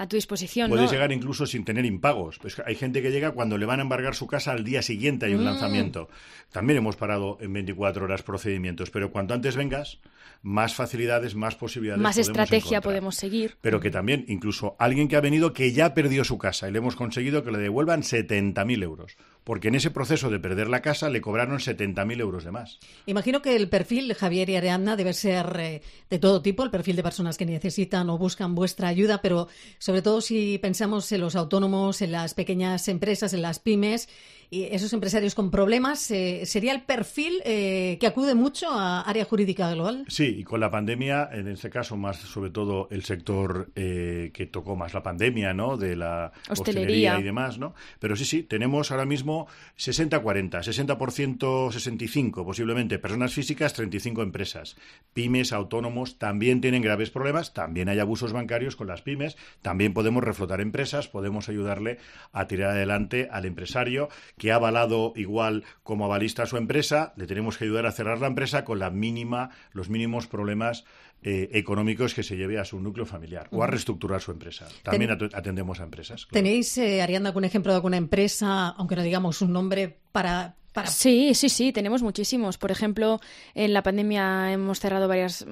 tu disposición. Puedes ¿no? llegar incluso sin tener impagos. Pues hay gente que llega cuando le van a embargar su casa al día siguiente, hay un lanzamiento. También hemos parado en 24 horas procedimientos, pero cuanto antes vengas, más facilidades, más posibilidades más podemos estrategia encontrar. Podemos seguir. Pero que también, incluso alguien que ha venido que ya perdió su casa y le hemos conseguido que le devuelvan 70.000 euros. Porque en ese proceso de perder la casa le cobraron 70.000 euros de más. Imagino que el perfil, Javier y Ariadna, debe ser de todo tipo, el perfil de personas que necesitan o buscan vuestra ayuda, pero sobre todo si pensamos en los autónomos, en las pequeñas empresas, en las pymes, y esos empresarios con problemas, ¿sería el perfil que acude mucho a Área Jurídica Global? Sí, y con la pandemia, en este caso más sobre todo el sector que tocó más la pandemia, ¿no? De la hostelería y demás, ¿no? Pero sí, tenemos ahora mismo 60-40, 60%, 65% posiblemente personas físicas, 35 empresas. Pymes, autónomos también tienen graves problemas, también hay abusos bancarios con las pymes, también podemos reflotar empresas, podemos ayudarle a tirar adelante al empresario que ha avalado igual como avalista a su empresa, le tenemos que ayudar a cerrar la empresa con los mínimos problemas económicos que se lleve a su núcleo familiar o a reestructurar su empresa. También atendemos a empresas. Claro. ¿Tenéis, Ariadna, algún ejemplo de alguna empresa, aunque no digamos un nombre, para...? Sí, tenemos muchísimos. Por ejemplo, en la pandemia hemos cerrado varias,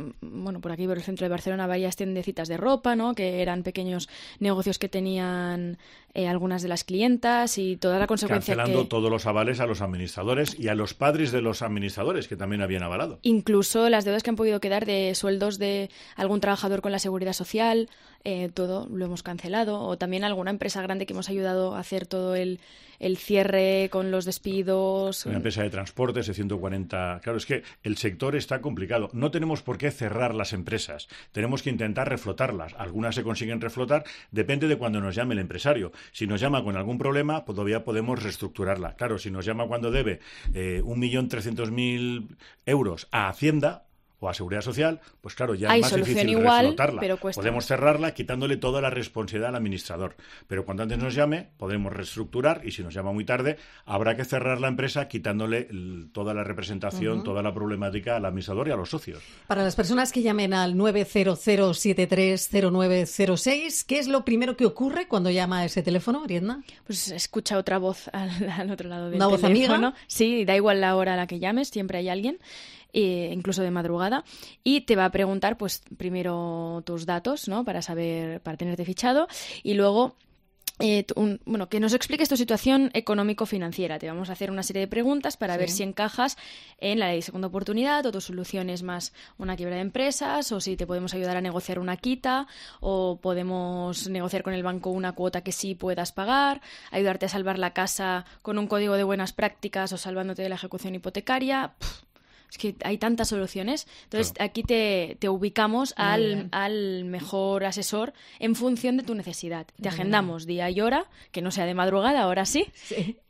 por aquí por el centro de Barcelona, varias tiendecitas de ropa, ¿no? Que eran pequeños negocios que tenían algunas de las clientas y toda la consecuencia cancelando todos los avales a los administradores y a los padres de los administradores que también habían avalado. Incluso las deudas que han podido quedar de sueldos de algún trabajador con la Seguridad Social, todo lo hemos cancelado. O también alguna empresa grande que hemos ayudado a hacer todo el cierre con los despidos. Una empresa de transportes de 140... Claro, es que el sector está complicado. No tenemos por qué cerrar las empresas. Tenemos que intentar reflotarlas. Algunas se consiguen reflotar, depende de cuando nos llame el empresario. Si nos llama con algún problema, pues todavía podemos reestructurarla. Claro, si nos llama cuando debe 1.300.000 euros a Hacienda o a Seguridad Social, pues claro, ya es más difícil reflotarla. Pero cuesta. Podemos cerrarla quitándole toda la responsabilidad al administrador. Pero cuando antes nos llame, podemos reestructurar y si nos llama muy tarde, habrá que cerrar la empresa quitándole toda la representación, toda la problemática al administrador y a los socios. Para las personas que llamen al 900730906, ¿qué es lo primero que ocurre cuando llama a ese teléfono, Ariadna? Pues escucha otra voz al otro lado del teléfono. ¿Una voz amiga? Sí, da igual la hora a la que llames, siempre hay alguien. Incluso de madrugada, y te va a preguntar, pues, primero tus datos, ¿no? Para tenerte fichado, y luego que nos expliques tu situación económico-financiera. Te vamos a hacer una serie de preguntas para ver si encajas en la ley de segunda oportunidad o tu solución es más una quiebra de empresas o si te podemos ayudar a negociar una quita o podemos negociar con el banco una cuota que sí puedas pagar, ayudarte a salvar la casa con un código de buenas prácticas o salvándote de la ejecución hipotecaria. Es que hay tantas soluciones. Entonces, aquí te ubicamos al mejor asesor en función de tu necesidad. Te agendamos día y hora, que no sea de madrugada, ahora sí,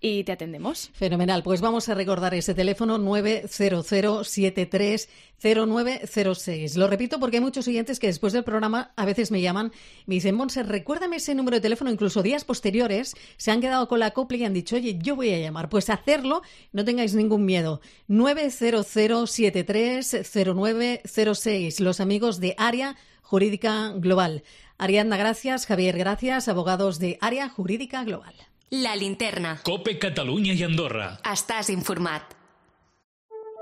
y te atendemos. Fenomenal. Pues vamos a recordar ese teléfono 900730906. Lo repito porque hay muchos oyentes que después del programa a veces me llaman y me dicen, Montse, recuérdame ese número de teléfono. Incluso días posteriores se han quedado con la copla y han dicho, oye, yo voy a llamar. Pues hacerlo, no tengáis ningún miedo. 900730906. Los amigos de Área Jurídica Global. Ariadna, gracias. Javier, gracias. Abogados de Área Jurídica Global. La linterna. COPE Catalunya i Andorra. Estàs informat.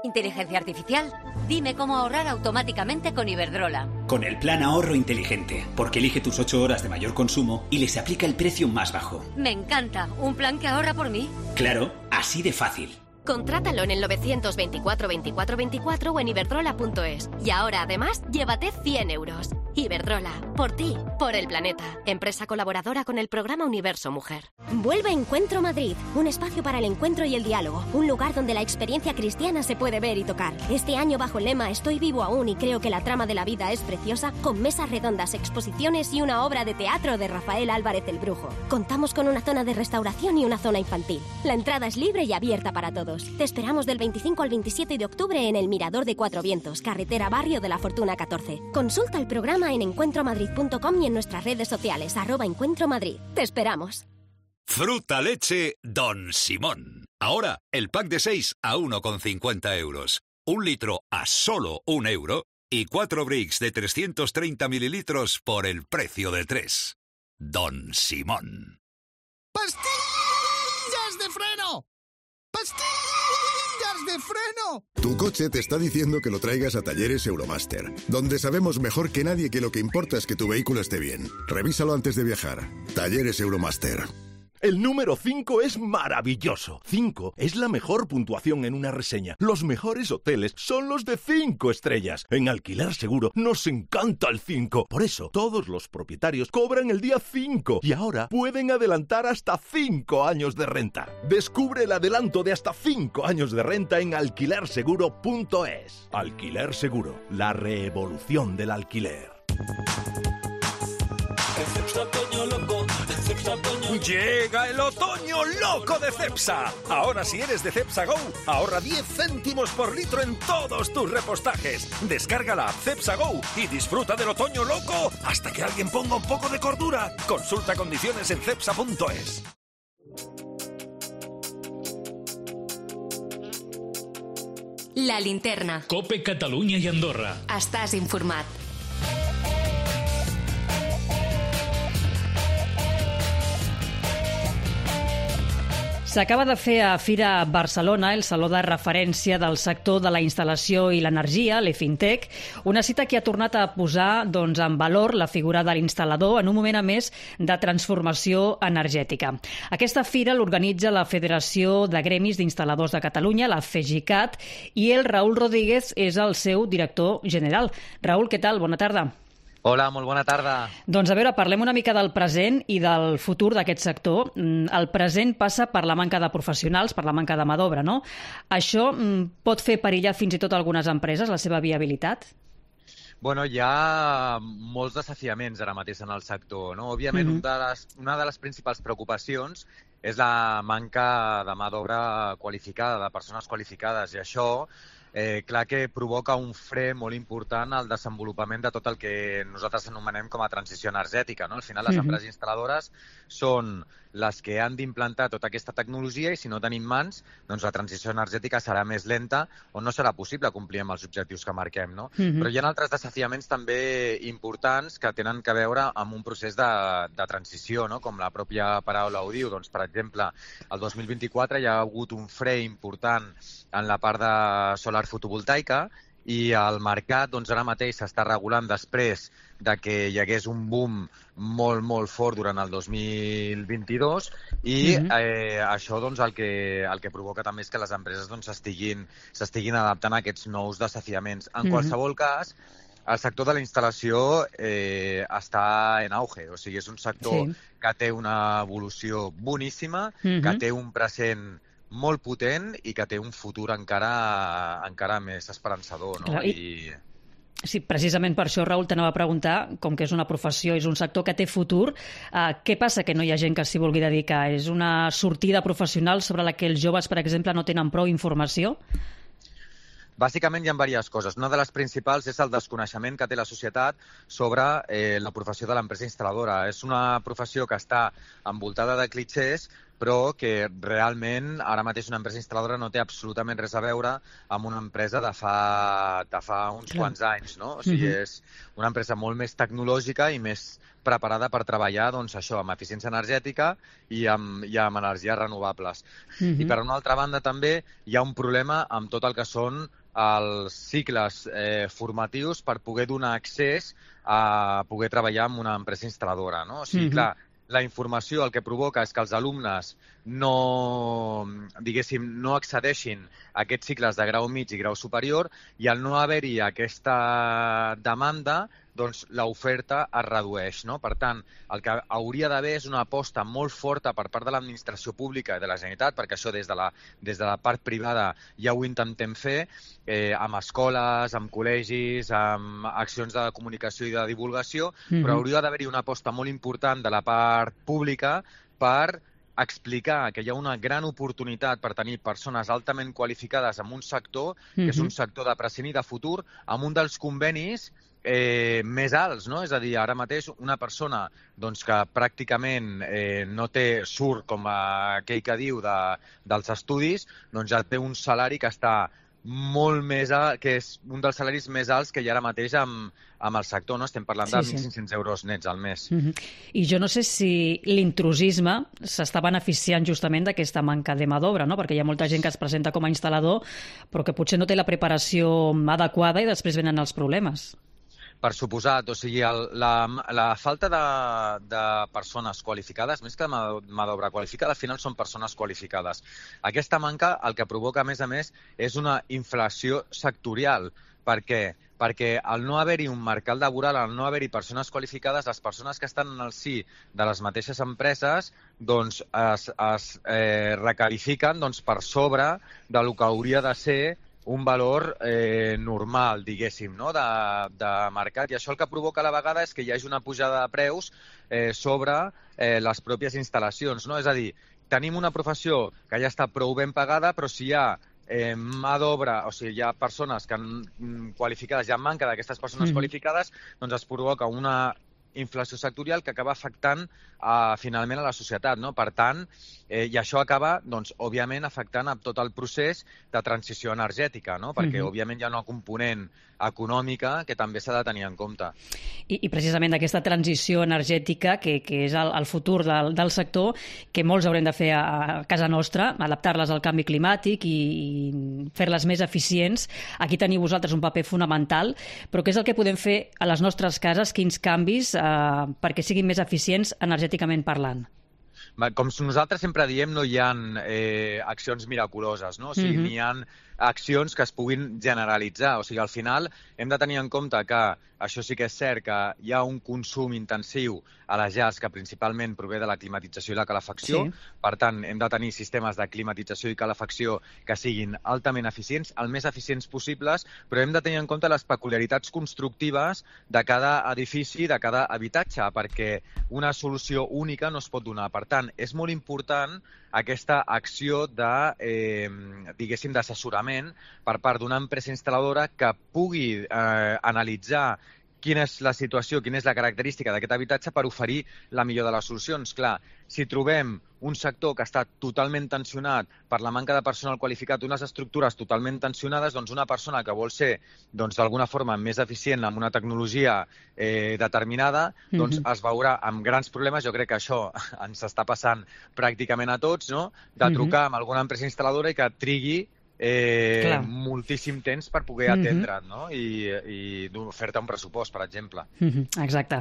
Inteligencia artificial. Dime cómo ahorrar automáticamente con Iberdrola. Con el plan ahorro inteligente, porque elige tus 8 horas de mayor consumo y les aplica el precio más bajo. Me encanta. ¿Un plan que ahorra por mí? Claro, así de fácil. Contrátalo en el 924 24 24 o en iberdrola.es. Y ahora, además, llévate 100 euros. Iberdrola, por ti, por el planeta. Empresa colaboradora con el programa Universo Mujer. Vuelve Encuentro Madrid, un espacio para el encuentro y el diálogo. Un lugar donde la experiencia cristiana se puede ver y tocar. Este año bajo el lema Estoy vivo aún y creo que la trama de la vida es preciosa, con mesas redondas, exposiciones y una obra de teatro de Rafael Álvarez el Brujo. Contamos con una zona de restauración y una zona infantil. La entrada es libre y abierta para todos. Te esperamos del 25 al 27 de octubre en el Mirador de Cuatro Vientos, carretera Barrio de la Fortuna 14. Consulta el programa Llama en encuentromadrid.com y en nuestras redes sociales, @encuentromadrid. Te esperamos. Fruta leche Don Simón. Ahora, el pack de 6 a 1,50 euros. 1 litro a solo 1 euro y 4 bricks de 330 mililitros por el precio de 3. Don Simón. ¡Pastillas de freno! ¡Pastillas de freno! Tu coche te está diciendo que lo traigas a Talleres Euromaster, donde sabemos mejor que nadie que lo que importa es que tu vehículo esté bien. Revísalo antes de viajar. Talleres Euromaster. El número 5 es maravilloso. 5 es la mejor puntuación en una reseña. Los mejores hoteles son los de 5 estrellas. En Alquiler Seguro nos encanta el 5. Por eso, todos los propietarios cobran el día 5 y ahora pueden adelantar hasta 5 años de renta. Descubre el adelanto de hasta 5 años de renta en alquilerseguro.es. Alquiler Seguro, la revolución del alquiler. Llega el otoño loco de Cepsa. Ahora si eres de Cepsa Go, ahorra 10 céntimos por litro en todos tus repostajes. Descarga la app Cepsa Go y disfruta del otoño loco hasta que alguien ponga un poco de cordura. Consulta condiciones en cepsa.es. La linterna. COPE Catalunya i Andorra. Estàs informat. S'acaba de fer a Fira Barcelona el saló de referència del sector de la instal·lació i l'energia, l'EFINTEC, una cita que ha tornat a posar en valor la figura de l'instal·lador en un moment a més de transformació energètica. Aquesta fira l'organitza la Federació de Gremis d'Instal·ladors de Catalunya, la FEGICAT, i el Raül Rodríguez és el seu director general. Raül, què tal? Bona tarda. Hola, molt bona tarda. Doncs a veure, parlem una mica del present i del futur d'aquest sector. El present passa per la manca de professionals, per la manca de mà d'obra, no? Això pot fer perillar fins i tot algunes empreses, la seva viabilitat? Bueno, hi ha molts desafiaments ara mateix en el sector, no? Òbviament, una de les principals preocupacions és la manca de mà d'obra qualificada, de persones qualificades, i això clar que provoca un fre molt important al desenvolupament de tot el que nosaltres anomenem com a transició energètica, no? Al final, les empreses instal·ladores són les que han d'implantar tota aquesta tecnologia i si no tenim mans, doncs la transició energètica serà més lenta o no serà possible complir amb els objectius que marquem, no? Però hi ha altres desafiaments també importants que tenen a veure amb un procés de transició, no? Com la pròpia paraula ho diu. Doncs, per exemple, el 2024 hi ha hagut un fre important en la part de solar fotovoltaica i el mercat doncs, ara mateix s'està regulant després de que hi hagués un boom molt fort durant el 2022 i això doncs, el que provoca també és que les empreses doncs, s'estiguin adaptant a aquests nous desafiaments. En qualsevol cas, el sector de la instal·lació està en auge, o sigui, és un sector que té una evolució boníssima, que té un present molt potent i que té un futur encara més esperançador, no? Sí, precisament per això, Raül, t'anava a preguntar, com que és una professió, és un sector que té futur, què passa que no hi ha gent que s'hi vulgui dedicar? És una sortida professional sobre la que els joves, per exemple, no tenen prou informació? Bàsicament hi ha diverses coses. Una de les principals és el desconeixement que té la societat sobre la professió de l'empresa instal·ladora. És una professió que està envoltada de clixés, però que realment ara mateix una empresa instal·ladora no té absolutament res a veure amb una empresa de fa uns quants anys, no? O sigui, és una empresa molt més tecnològica i més preparada per treballar, doncs, això, amb eficiència energètica i amb energies renovables. I per una altra banda també hi ha un problema amb tot el que són els cicles formatius per poder donar accés a poder treballar en una empresa instal·ladora, no? O sigui, clar, la informació el que provoca és que els alumnes no accedeixin a aquests cicles de grau mig i grau superior i al no haver-hi aquesta demanda, doncs l'oferta es redueix, no? Per tant, el que hauria d'haver és una aposta molt forta per part de l'administració pública i de la Generalitat, perquè això des de la part privada ja ho intentem fer, amb escoles, amb col·legis, amb accions de comunicació i de divulgació, però hauria d'haver-hi una aposta molt important de la part pública per explicar que hi ha una gran oportunitat per tenir persones altament qualificades en un sector, que és un sector de present i de futur, amb un dels convenis més alts, no? És a dir, ara mateix una persona doncs, que pràcticament no surt, com aquell que diu, dels estudis, doncs ja té un salari que està molt més alt, que és un dels salaris més alts que hi ha ara mateix amb el sector, no? Estem parlant de 1.500 euros nets al mes. I jo no sé si l'intrusisme s'està beneficiant justament d'aquesta manca de mà d'obra, no? Perquè hi ha molta gent que es presenta com a instal·lador però que potser no té la preparació adequada i després venen els problemes. Per suposat, o sigui, la falta de persones qualificades, més que mà d'obra qualificada, al final són persones qualificades. Aquesta manca el que provoca, a més, és una inflació sectorial. Per què? Perquè al no haver-hi un mercat laboral, al no haver-hi persones qualificades, les persones que estan en el si de les mateixes empreses doncs es recalifiquen per sobre del que hauria de ser un valor normal, diguéssim, no? de mercat. I això el que provoca a la vegada és que hi hagi una pujada de preus sobre les pròpies instal·lacions. No? És a dir, tenim una professió que ja està prou ben pagada, però si hi ha mà d'obra, o sigui, hi ha persones qualificades, hi ha manca d'aquestes persones qualificades, doncs es provoca una inflació sectorial que acaba afectant finalment a la societat, no? Per tant, i això acaba, doncs, òbviament, afectant a tot el procés de transició energètica, no? Perquè, òbviament, hi ha una component econòmica que també s'ha de tenir en compte. I precisament d'aquesta transició energètica, que és el futur del sector, que molts haurem de fer a casa nostra, adaptar-les al canvi climàtic i fer-les més eficients. Aquí teniu vosaltres un paper fonamental, però què és el que podem fer a les nostres cases, quins canvis perquè siguin més eficients energèticament parlant? Com nosaltres sempre diem, no hi ha accions miraculoses, no? O sigui, n'hi ha accions que es puguin generalitzar. O sigui, al final hem de tenir en compte que això sí que és cert, que hi ha un consum intensiu a les llars que principalment prové de la climatització i la calefacció. Per tant, hem de tenir sistemes de climatització i calefacció que siguin altament eficients, el més eficients possibles, però hem de tenir en compte les peculiaritats constructives de cada edifici, de cada habitatge, perquè una solució única no es pot donar. Per tant, és molt important aquesta acció diguéssim, d'assessorament per part d'una empresa instal·ladora que pugui analitzar quina és la situació, quina és la característica d'aquest habitatge per oferir la millor de les solucions. Clar, si trobem un sector que està totalment tensionat per la manca de personal qualificat, unes estructures totalment tensionades, doncs una persona que vol ser d'alguna forma més eficient amb una tecnologia determinada, doncs es veurà amb grans problemes. Jo crec que això ens està passant pràcticament a tots, no? De trucar amb alguna empresa instal·ladora i que trigui moltíssim temps per poder atendre't, no? I fer-te un pressupost, per exemple. Exacte.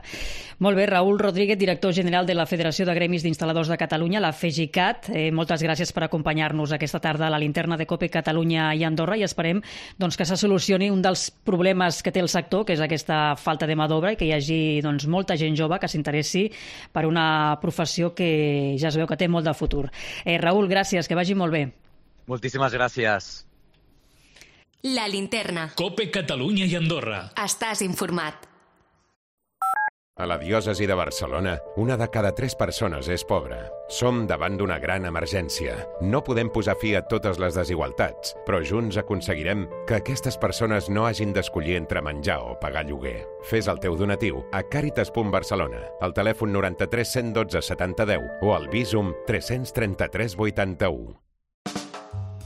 Molt bé, Raül Rodríguez, director general de la Federació de Gremis d'Instal·ladors de Catalunya, la FEGICAT. Moltes gràcies per acompanyar-nos aquesta tarda a la linterna de COPE Catalunya i Andorra i esperem que se solucioni un dels problemes que té el sector, que és aquesta falta de mà d'obra i que hi hagi molta gent jove que s'interessi per una professió que ja es veu que té molt de futur. Raül, gràcies, que vagi molt bé. Moltíssimes gràcies. La linterna. COPE Catalunya i Andorra. Estàs informat. A la diòcesi de Barcelona, 1 de cada 3 persones és pobra. Som davant d'una gran emergència. No podem posar fi a totes les desigualtats, però junts aconseguirem que aquestes persones no hagin d'escollir entre menjar o pagar lloguer. Fes el teu donatiu a Càritas.Barcelona, al telèfon 93 112 7010 o al Bizum 333 81.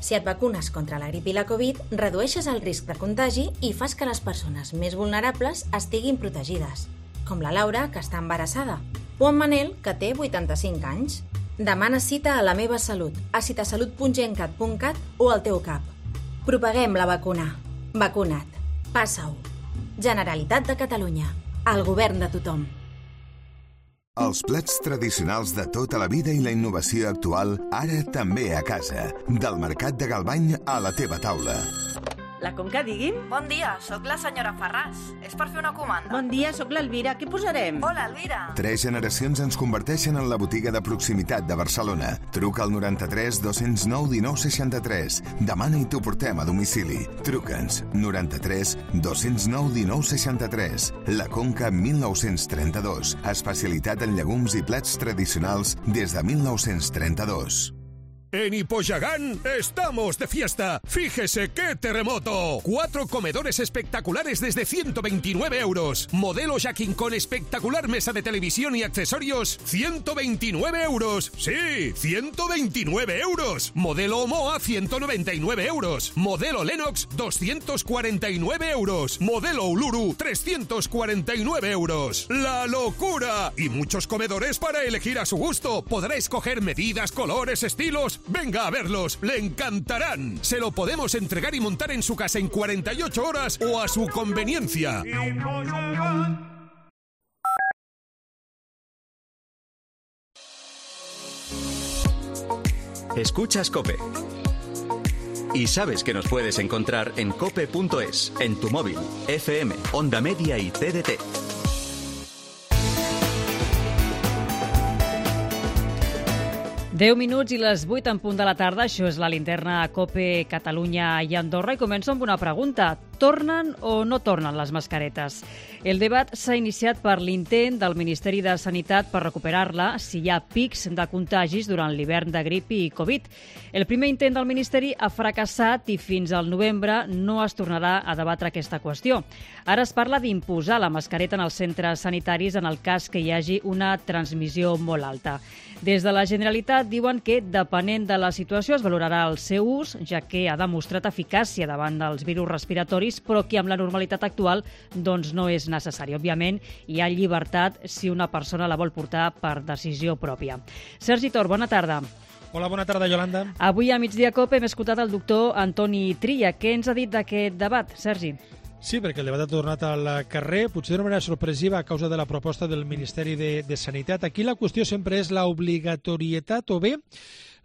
Si et vacunes contra la grip i la Covid, redueixes el risc de contagi i fas que les persones més vulnerables estiguin protegides, com la Laura, que està embarassada, o en Manel, que té 85 anys. Demana cita a La Meva Salut, a citasalut.gencat.cat o al teu CAP. Propaguem la vacuna. Vacuna't. Passa-ho. Generalitat de Catalunya. El govern de tothom. Els plats tradicionals de tota la vida i la innovació actual, ara també a casa. Del Mercat de Galvany a la teva taula. La Conca, digui'm. Bon dia, sóc la senyora Ferràs. És per fer una comanda. Bon dia, sóc l'Elvira. Què posarem? Hola, Elvira. 3 generacions ens converteixen en la botiga de proximitat de Barcelona. Truca al 93 209 19 63. Demana i t'ho portem a domicili. Truca'ns. 93 209 19 63. La Conca 1932. Especialitat en llegums i plats tradicionals des de 1932. En Hipoyagán estamos de fiesta. Fíjese qué terremoto. 4 comedores espectaculares desde 129 euros. Modelo Jacking con espectacular mesa de televisión y accesorios, 129 euros. Sí, 129 euros. Modelo Omoa, 199 euros. Modelo Lennox, 249 euros. Modelo Uluru, 349 euros. ¡La locura! Y muchos comedores para elegir a su gusto. Podrá escoger medidas, colores, estilos. Venga a verlos, le encantarán. Se lo podemos entregar y montar en su casa en 48 horas o a su conveniencia. Escuchas COPE. Y sabes que nos puedes encontrar en cope.es, en tu móvil, FM, Onda Media y TDT. Deu minuts i les 8 en punt de la tarda. Això és la linterna COPE Catalunya i Andorra. I començo amb una pregunta. Tornen o no tornen les mascaretes? El debat s'ha iniciat per l'intent del Ministeri de Sanitat per recuperar-la si hi ha pics de contagis durant l'hivern de grip i Covid. El primer intent del Ministeri ha fracassat i fins al novembre no es tornarà a debatre aquesta qüestió. Ara es parla d'imposar la mascareta en els centres sanitaris en el cas que hi hagi una transmissió molt alta. Des de la Generalitat diuen que, depenent de la situació, es valorarà el seu ús, ja que ha demostrat eficàcia davant dels virus respiratoris, però que amb la normalitat actual doncs no és necessari. Òbviament, hi ha llibertat si una persona la vol portar per decisió pròpia. Sergi Tor, bona tarda. Hola, bona tarda, Yolanda. Avui a Migdia COPE hem escoltat el doctor Antoni Trilla. Què ens ha dit d'aquest debat, Sergi? Sí, perquè el debat ha tornat al carrer, potser d'una manera sorpresiva a causa de la proposta del Ministeri de Sanitat. Aquí la qüestió sempre és l'obligatorietat o bé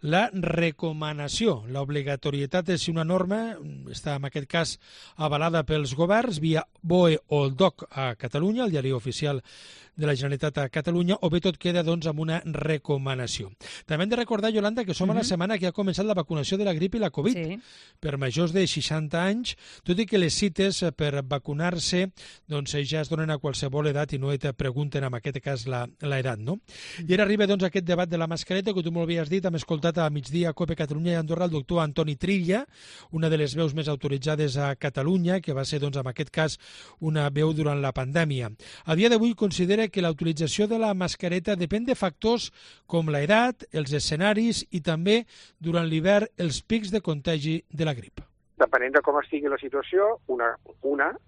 la recomanació. L'obligatorietat és si una norma està, en aquest cas, avalada pels governs via BOE o el DOC a Catalunya, el diari oficial de la Generalitat a Catalunya, o bé tot queda doncs, amb una recomanació. També hem de recordar, Yolanda, que som a la setmana que ha començat la vacunació de la grip i la Covid per majors de 60 anys, tot i que les cites per vacunar-se doncs, ja es donen a qualsevol edat i no et pregunten, en aquest cas, l'edat, no? I ara arriba doncs, aquest debat de la mascareta, que tu molt bé has dit, hem escoltat a Migdia COPE Catalunya i Andorra el doctor Antoni Trilla, una de les veus més autoritzades a Catalunya, que va ser, doncs, en aquest cas, una veu durant la pandèmia. A dia d'avui considera que la utilització de la mascareta depèn de factors com l'edat, els escenaris i també, durant l'hivern, els pics de contagi de la grip. Depenent de com estigui la situació, una,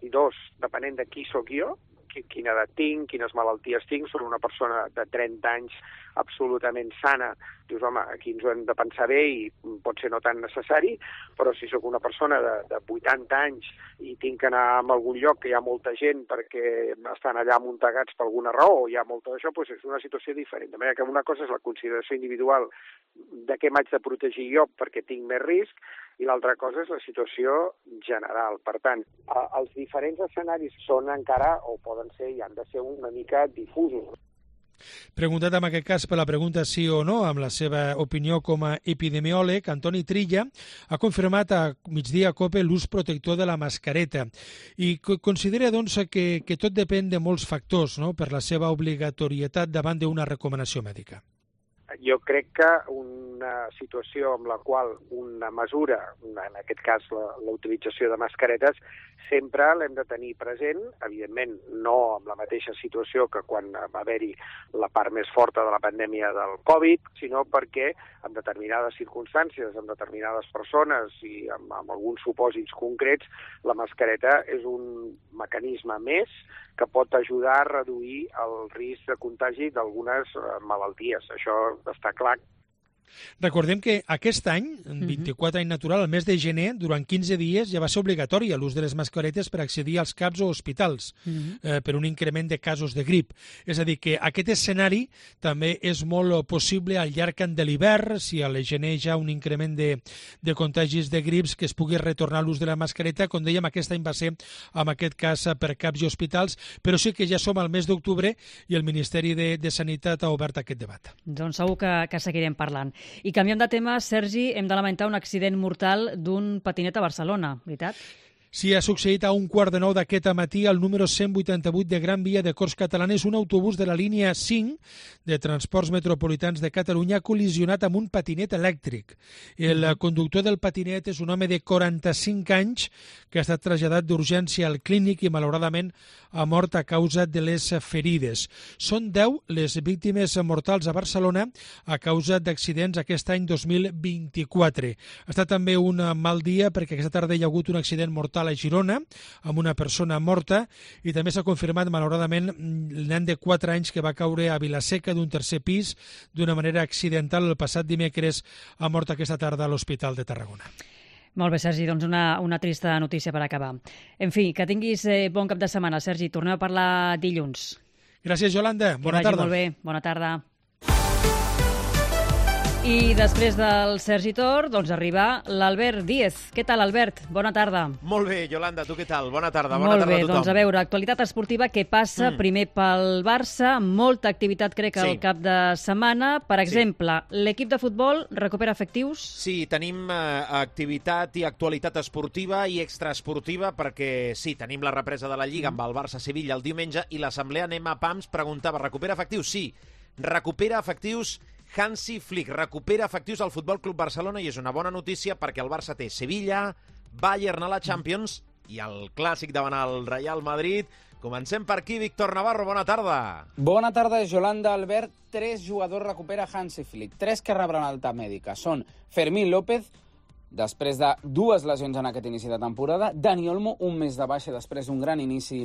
i dos, depenent de qui sóc jo, quina edat tinc, quines malalties tinc, soc una persona de 30 anys absolutament sana, dius, home, aquí ens ho hem de pensar bé i pot ser no tan necessari, però si sóc una persona de 80 anys i tinc que anar a algun lloc que hi ha molta gent perquè estan allà amuntegats per alguna raó, hi ha molta d'això, doncs és una situació diferent. De manera que una cosa és la consideració individual de què m'haig de protegir jo perquè tinc més risc, i l'altra cosa és la situació general. Per tant, els diferents escenaris són encara, o poden ser, i han de ser una mica difusos. Preguntat en aquest cas per la pregunta sí o no, amb la seva opinió com a epidemiòleg, Antoni Trilla ha confirmat a Migdia COPE l'ús protector de la mascareta i considera doncs, que tot depèn de molts factors, no?, per la seva obligatorietat davant d'una recomanació mèdica. Jo crec que una situació amb la qual una mesura, en aquest cas la utilització de mascaretes, sempre l'hem de tenir present, evidentment no amb la mateixa situació que quan va haver-hi la part més forta de la pandèmia del Covid, sinó perquè en determinades circumstàncies, amb determinades persones i amb alguns supòsits concrets, la mascareta és un mecanisme més que pot ajudar a reduir el risc de contagi d'algunes malalties. Això està clar. Recordem que aquest any, en 24 any natural, el mes de gener, durant 15 dies ja va ser obligatori l'ús de les mascaretes per accedir als CAPs o hospitals per un increment de casos de grip. És a dir, que aquest escenari també és molt possible al llarg de l'hivern, si a la gener hi ha un increment de contagis de grips, que es pugui retornar l'ús de la mascareta. Com dèiem, aquest any va ser, en aquest cas, per CAPs i hospitals, però sí que ja som al mes d'octubre i el Ministeri de Sanitat ha obert aquest debat. Doncs segur que seguirem parlant. I canviant de tema, Sergi, hem de lamentar un accident mortal d'un patinet a Barcelona, veritat? Sí, ha succeït a 8:15 d'aquest matí al número 188 de Gran Via de Corts Catalanes. Un autobús de la línia 5 de Transports Metropolitans de Catalunya ha col·lisionat amb un patinet elèctric. El conductor del patinet és un home de 45 anys que ha estat traslladat d'urgència al clínic i malauradament ha mort a causa de les ferides. Són 10 les víctimes mortals a Barcelona a causa d'accidents aquest any 2024. Ha estat també un mal dia perquè aquesta tarda hi ha hagut un accident mortal a Girona amb una persona morta i també s'ha confirmat malauradament el nen de 4 anys que va caure a Vilaseca d'un tercer pis d'una manera accidental el passat dimecres, ha mort aquesta tarda a l'Hospital de Tarragona. Molt bé, Sergi, doncs una trista notícia per acabar. En fi, que tinguis bon cap de setmana, Sergi. Tornem a parlar dilluns. Gràcies, Yolanda. Bona tarda. Que vagi molt bé. Bona tarda. I després del Sergi Tor, doncs arriba l'Albert Díez. Què tal, Albert? Bona tarda. Molt bé, Yolanda, tu què tal? Bona tarda. Bona Molt tarda bé, a tothom. doncs a veure, actualitat esportiva que passa primer pel Barça, molta activitat crec al cap de setmana. Per exemple, l'equip de futbol recupera efectius? Sí, tenim activitat i actualitat esportiva i extraesportiva perquè sí, tenim la represa de la Lliga amb el Barça-Sevilla el diumenge i l'assemblea Nema Pams preguntava, recupera efectius? Sí, recupera efectius Hansi Flick, recupera efectius al Futbol Club Barcelona i és una bona notícia perquè el Barça té Sevilla, Bayern a la Champions i el clàssic davant el Real Madrid. Comencem per aquí, Víctor Navarro, bona tarda. Bona tarda, Yolanda, Albert. 3 jugadors recupera Hansi Flick, 3 que rebran alta mèdica. Són Fermín López, després de 2 lesions en aquest inici de temporada, Dani Olmo, un mes de baixa després d'un gran inici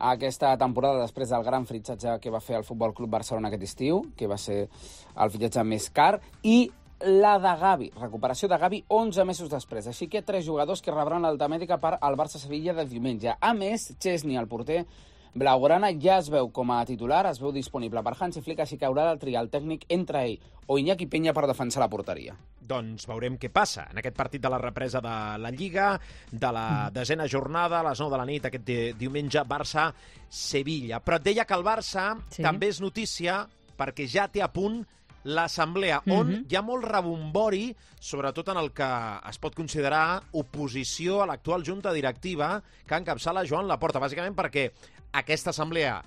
a aquesta temporada, després del gran fitxatge que va fer el Futbol Club Barcelona aquest estiu, que va ser el fitxatge més car, i la de Gavi, recuperació de Gavi 11 mesos després. Així que 3 jugadors que rebran l'alta mèdica per al Barça-Sevilla de diumenge. A més, Chesney, el porter blaugrana, ja es veu com a titular, es veu disponible per Hansi Flick, així que haurà de triar el tècnic entre ell o Iñaki Peña per defensar la porteria. Doncs veurem què passa en aquest partit de la represa de la Lliga, de la 10ª jornada, a les 9 de la nit, aquest diumenge, Barça-Sevilla. Però et deia que el Barça també és notícia perquè ja té a punt l'assemblea, on hi ha molt rebombori, sobretot en el que es pot considerar oposició a l'actual junta directiva que encapçala Joan Laporta, bàsicament perquè aquesta assemblea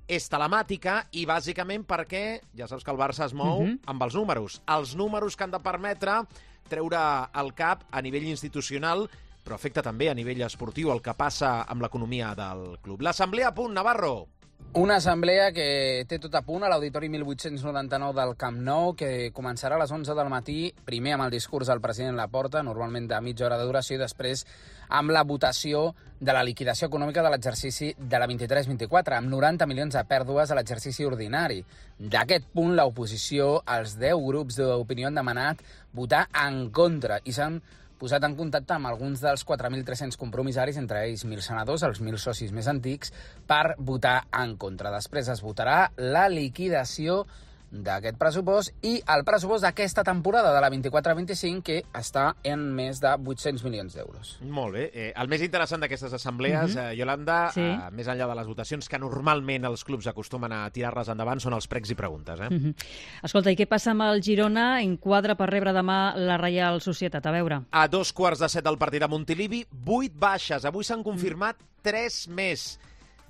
és telemàtica i bàsicament perquè, ja saps que el Barça es mou amb els números que han de permetre treure el cap a nivell institucional, però afecta també a nivell esportiu el que passa amb l'economia del club. L'assemblea a punt, Navarro. Una assemblea que té tot a punt a l'Auditori 1899 del Camp Nou, que començarà a les 11 del matí, primer amb el discurs del president Laporta, normalment de mitja hora de duració, i després amb la votació de la liquidació econòmica de l'exercici de la 23-24, amb 90 milions de pèrdues a l'exercici ordinari. D'aquest punt, l'oposició, els 10 grups d'opinió han demanat votar en contra i s'han posat en contacte amb alguns dels 4.300 compromissaris, entre ells 1.000 senadors, els 1.000 socis més antics, per votar en contra. Després es votarà la liquidació d'aquest pressupost i el pressupost d'aquesta temporada de la 24-25, que està en més de 800 milions d'euros. Molt bé. El més interessant d'aquestes assemblees, Yolanda, més enllà de les votacions, que normalment els clubs acostumen a tirar-les endavant, són els pregs i preguntes. Escolta, i què passa amb el Girona? Enquadra per rebre demà la Reial Societat. A veure. A 2:15 del partit a Montilivi, 8 baixes. Avui s'han confirmat 3 més.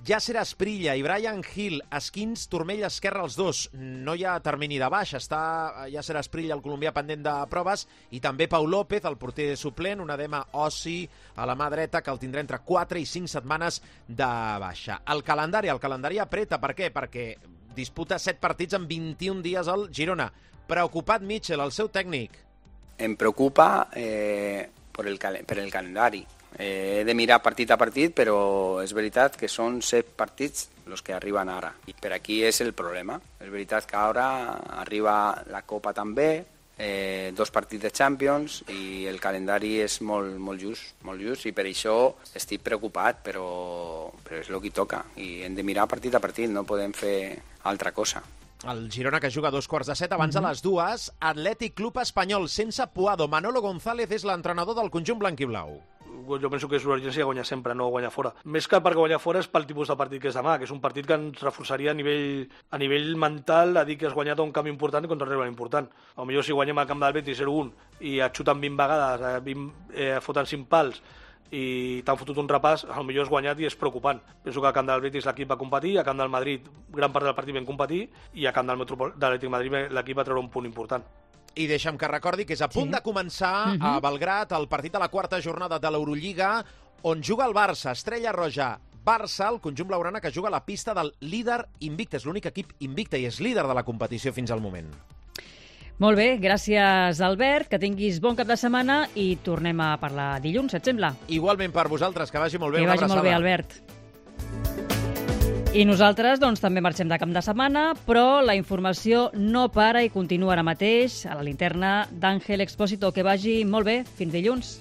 Yasser Asprilla i Brian Hill, esquins, turmell esquerre els dos. No hi ha termini de baixa. Està Yasser Asprilla, el colombià, pendent de proves, i també Pau López, el porter suplent, un edema ossi a la mà dreta que el tindrà entre 4 i 5 setmanes de baixa. El calendari apreta. Per què? Perquè disputa 7 partits en 21 dies al Girona. Preocupat Mitchell, el seu tècnic. Em preocupa per el calendari. He de mirar partit a partit, però és veritat que són 7 partits els que arriben ara. I per aquí és el problema. És veritat que ara arriba la Copa també, 2 partits de Champions, i el calendari és molt just, i per això estic preocupat, però és el que toca. I hem de mirar partit a partit, no podem fer altra cosa. El Girona, que juga a 2:15, abans de les 2, Atlètic Club Espanyol, sense Puado. Manolo González és l'entrenador del conjunt blanquiblau. Jo penso que és l'urgència guanyar sempre, no guanyar fora. Més que perquè guanyar fora és pel tipus de partit que és demà, que és un partit que ens reforçaria a nivell mental, a dir que has guanyat un camp important contra un rival important. Potser si guanyem al camp del Betis 0-1 i et xuten 20 vegades, foten 5 pals i t'han fotut un repàs, potser has guanyat i és preocupant. Penso que a camp del Betis l'equip va competir, a camp del Madrid gran part del partit vam competir i a camp del Atlètic Madrid l'equip va treure un punt important. I deixa'm que recordi que és a punt de començar a Belgrat el partit de la quarta jornada de l'Eurolliga, on juga el Barça, Estrella Roja, Barça, el conjunt blaugrana que juga a la pista del líder invicte. És l'únic equip invicte i és líder de la competició fins al moment. Molt bé, gràcies Albert, que tinguis bon cap de setmana i tornem a parlar dilluns, et sembla? Igualment per vosaltres, que vagi molt bé. Que vagi molt bé, Albert. I nosaltres doncs, també marxem de cap de setmana, però la informació no para i continua ara mateix a la linterna d'Àngel Expósito. Que vagi molt bé. Fins dilluns.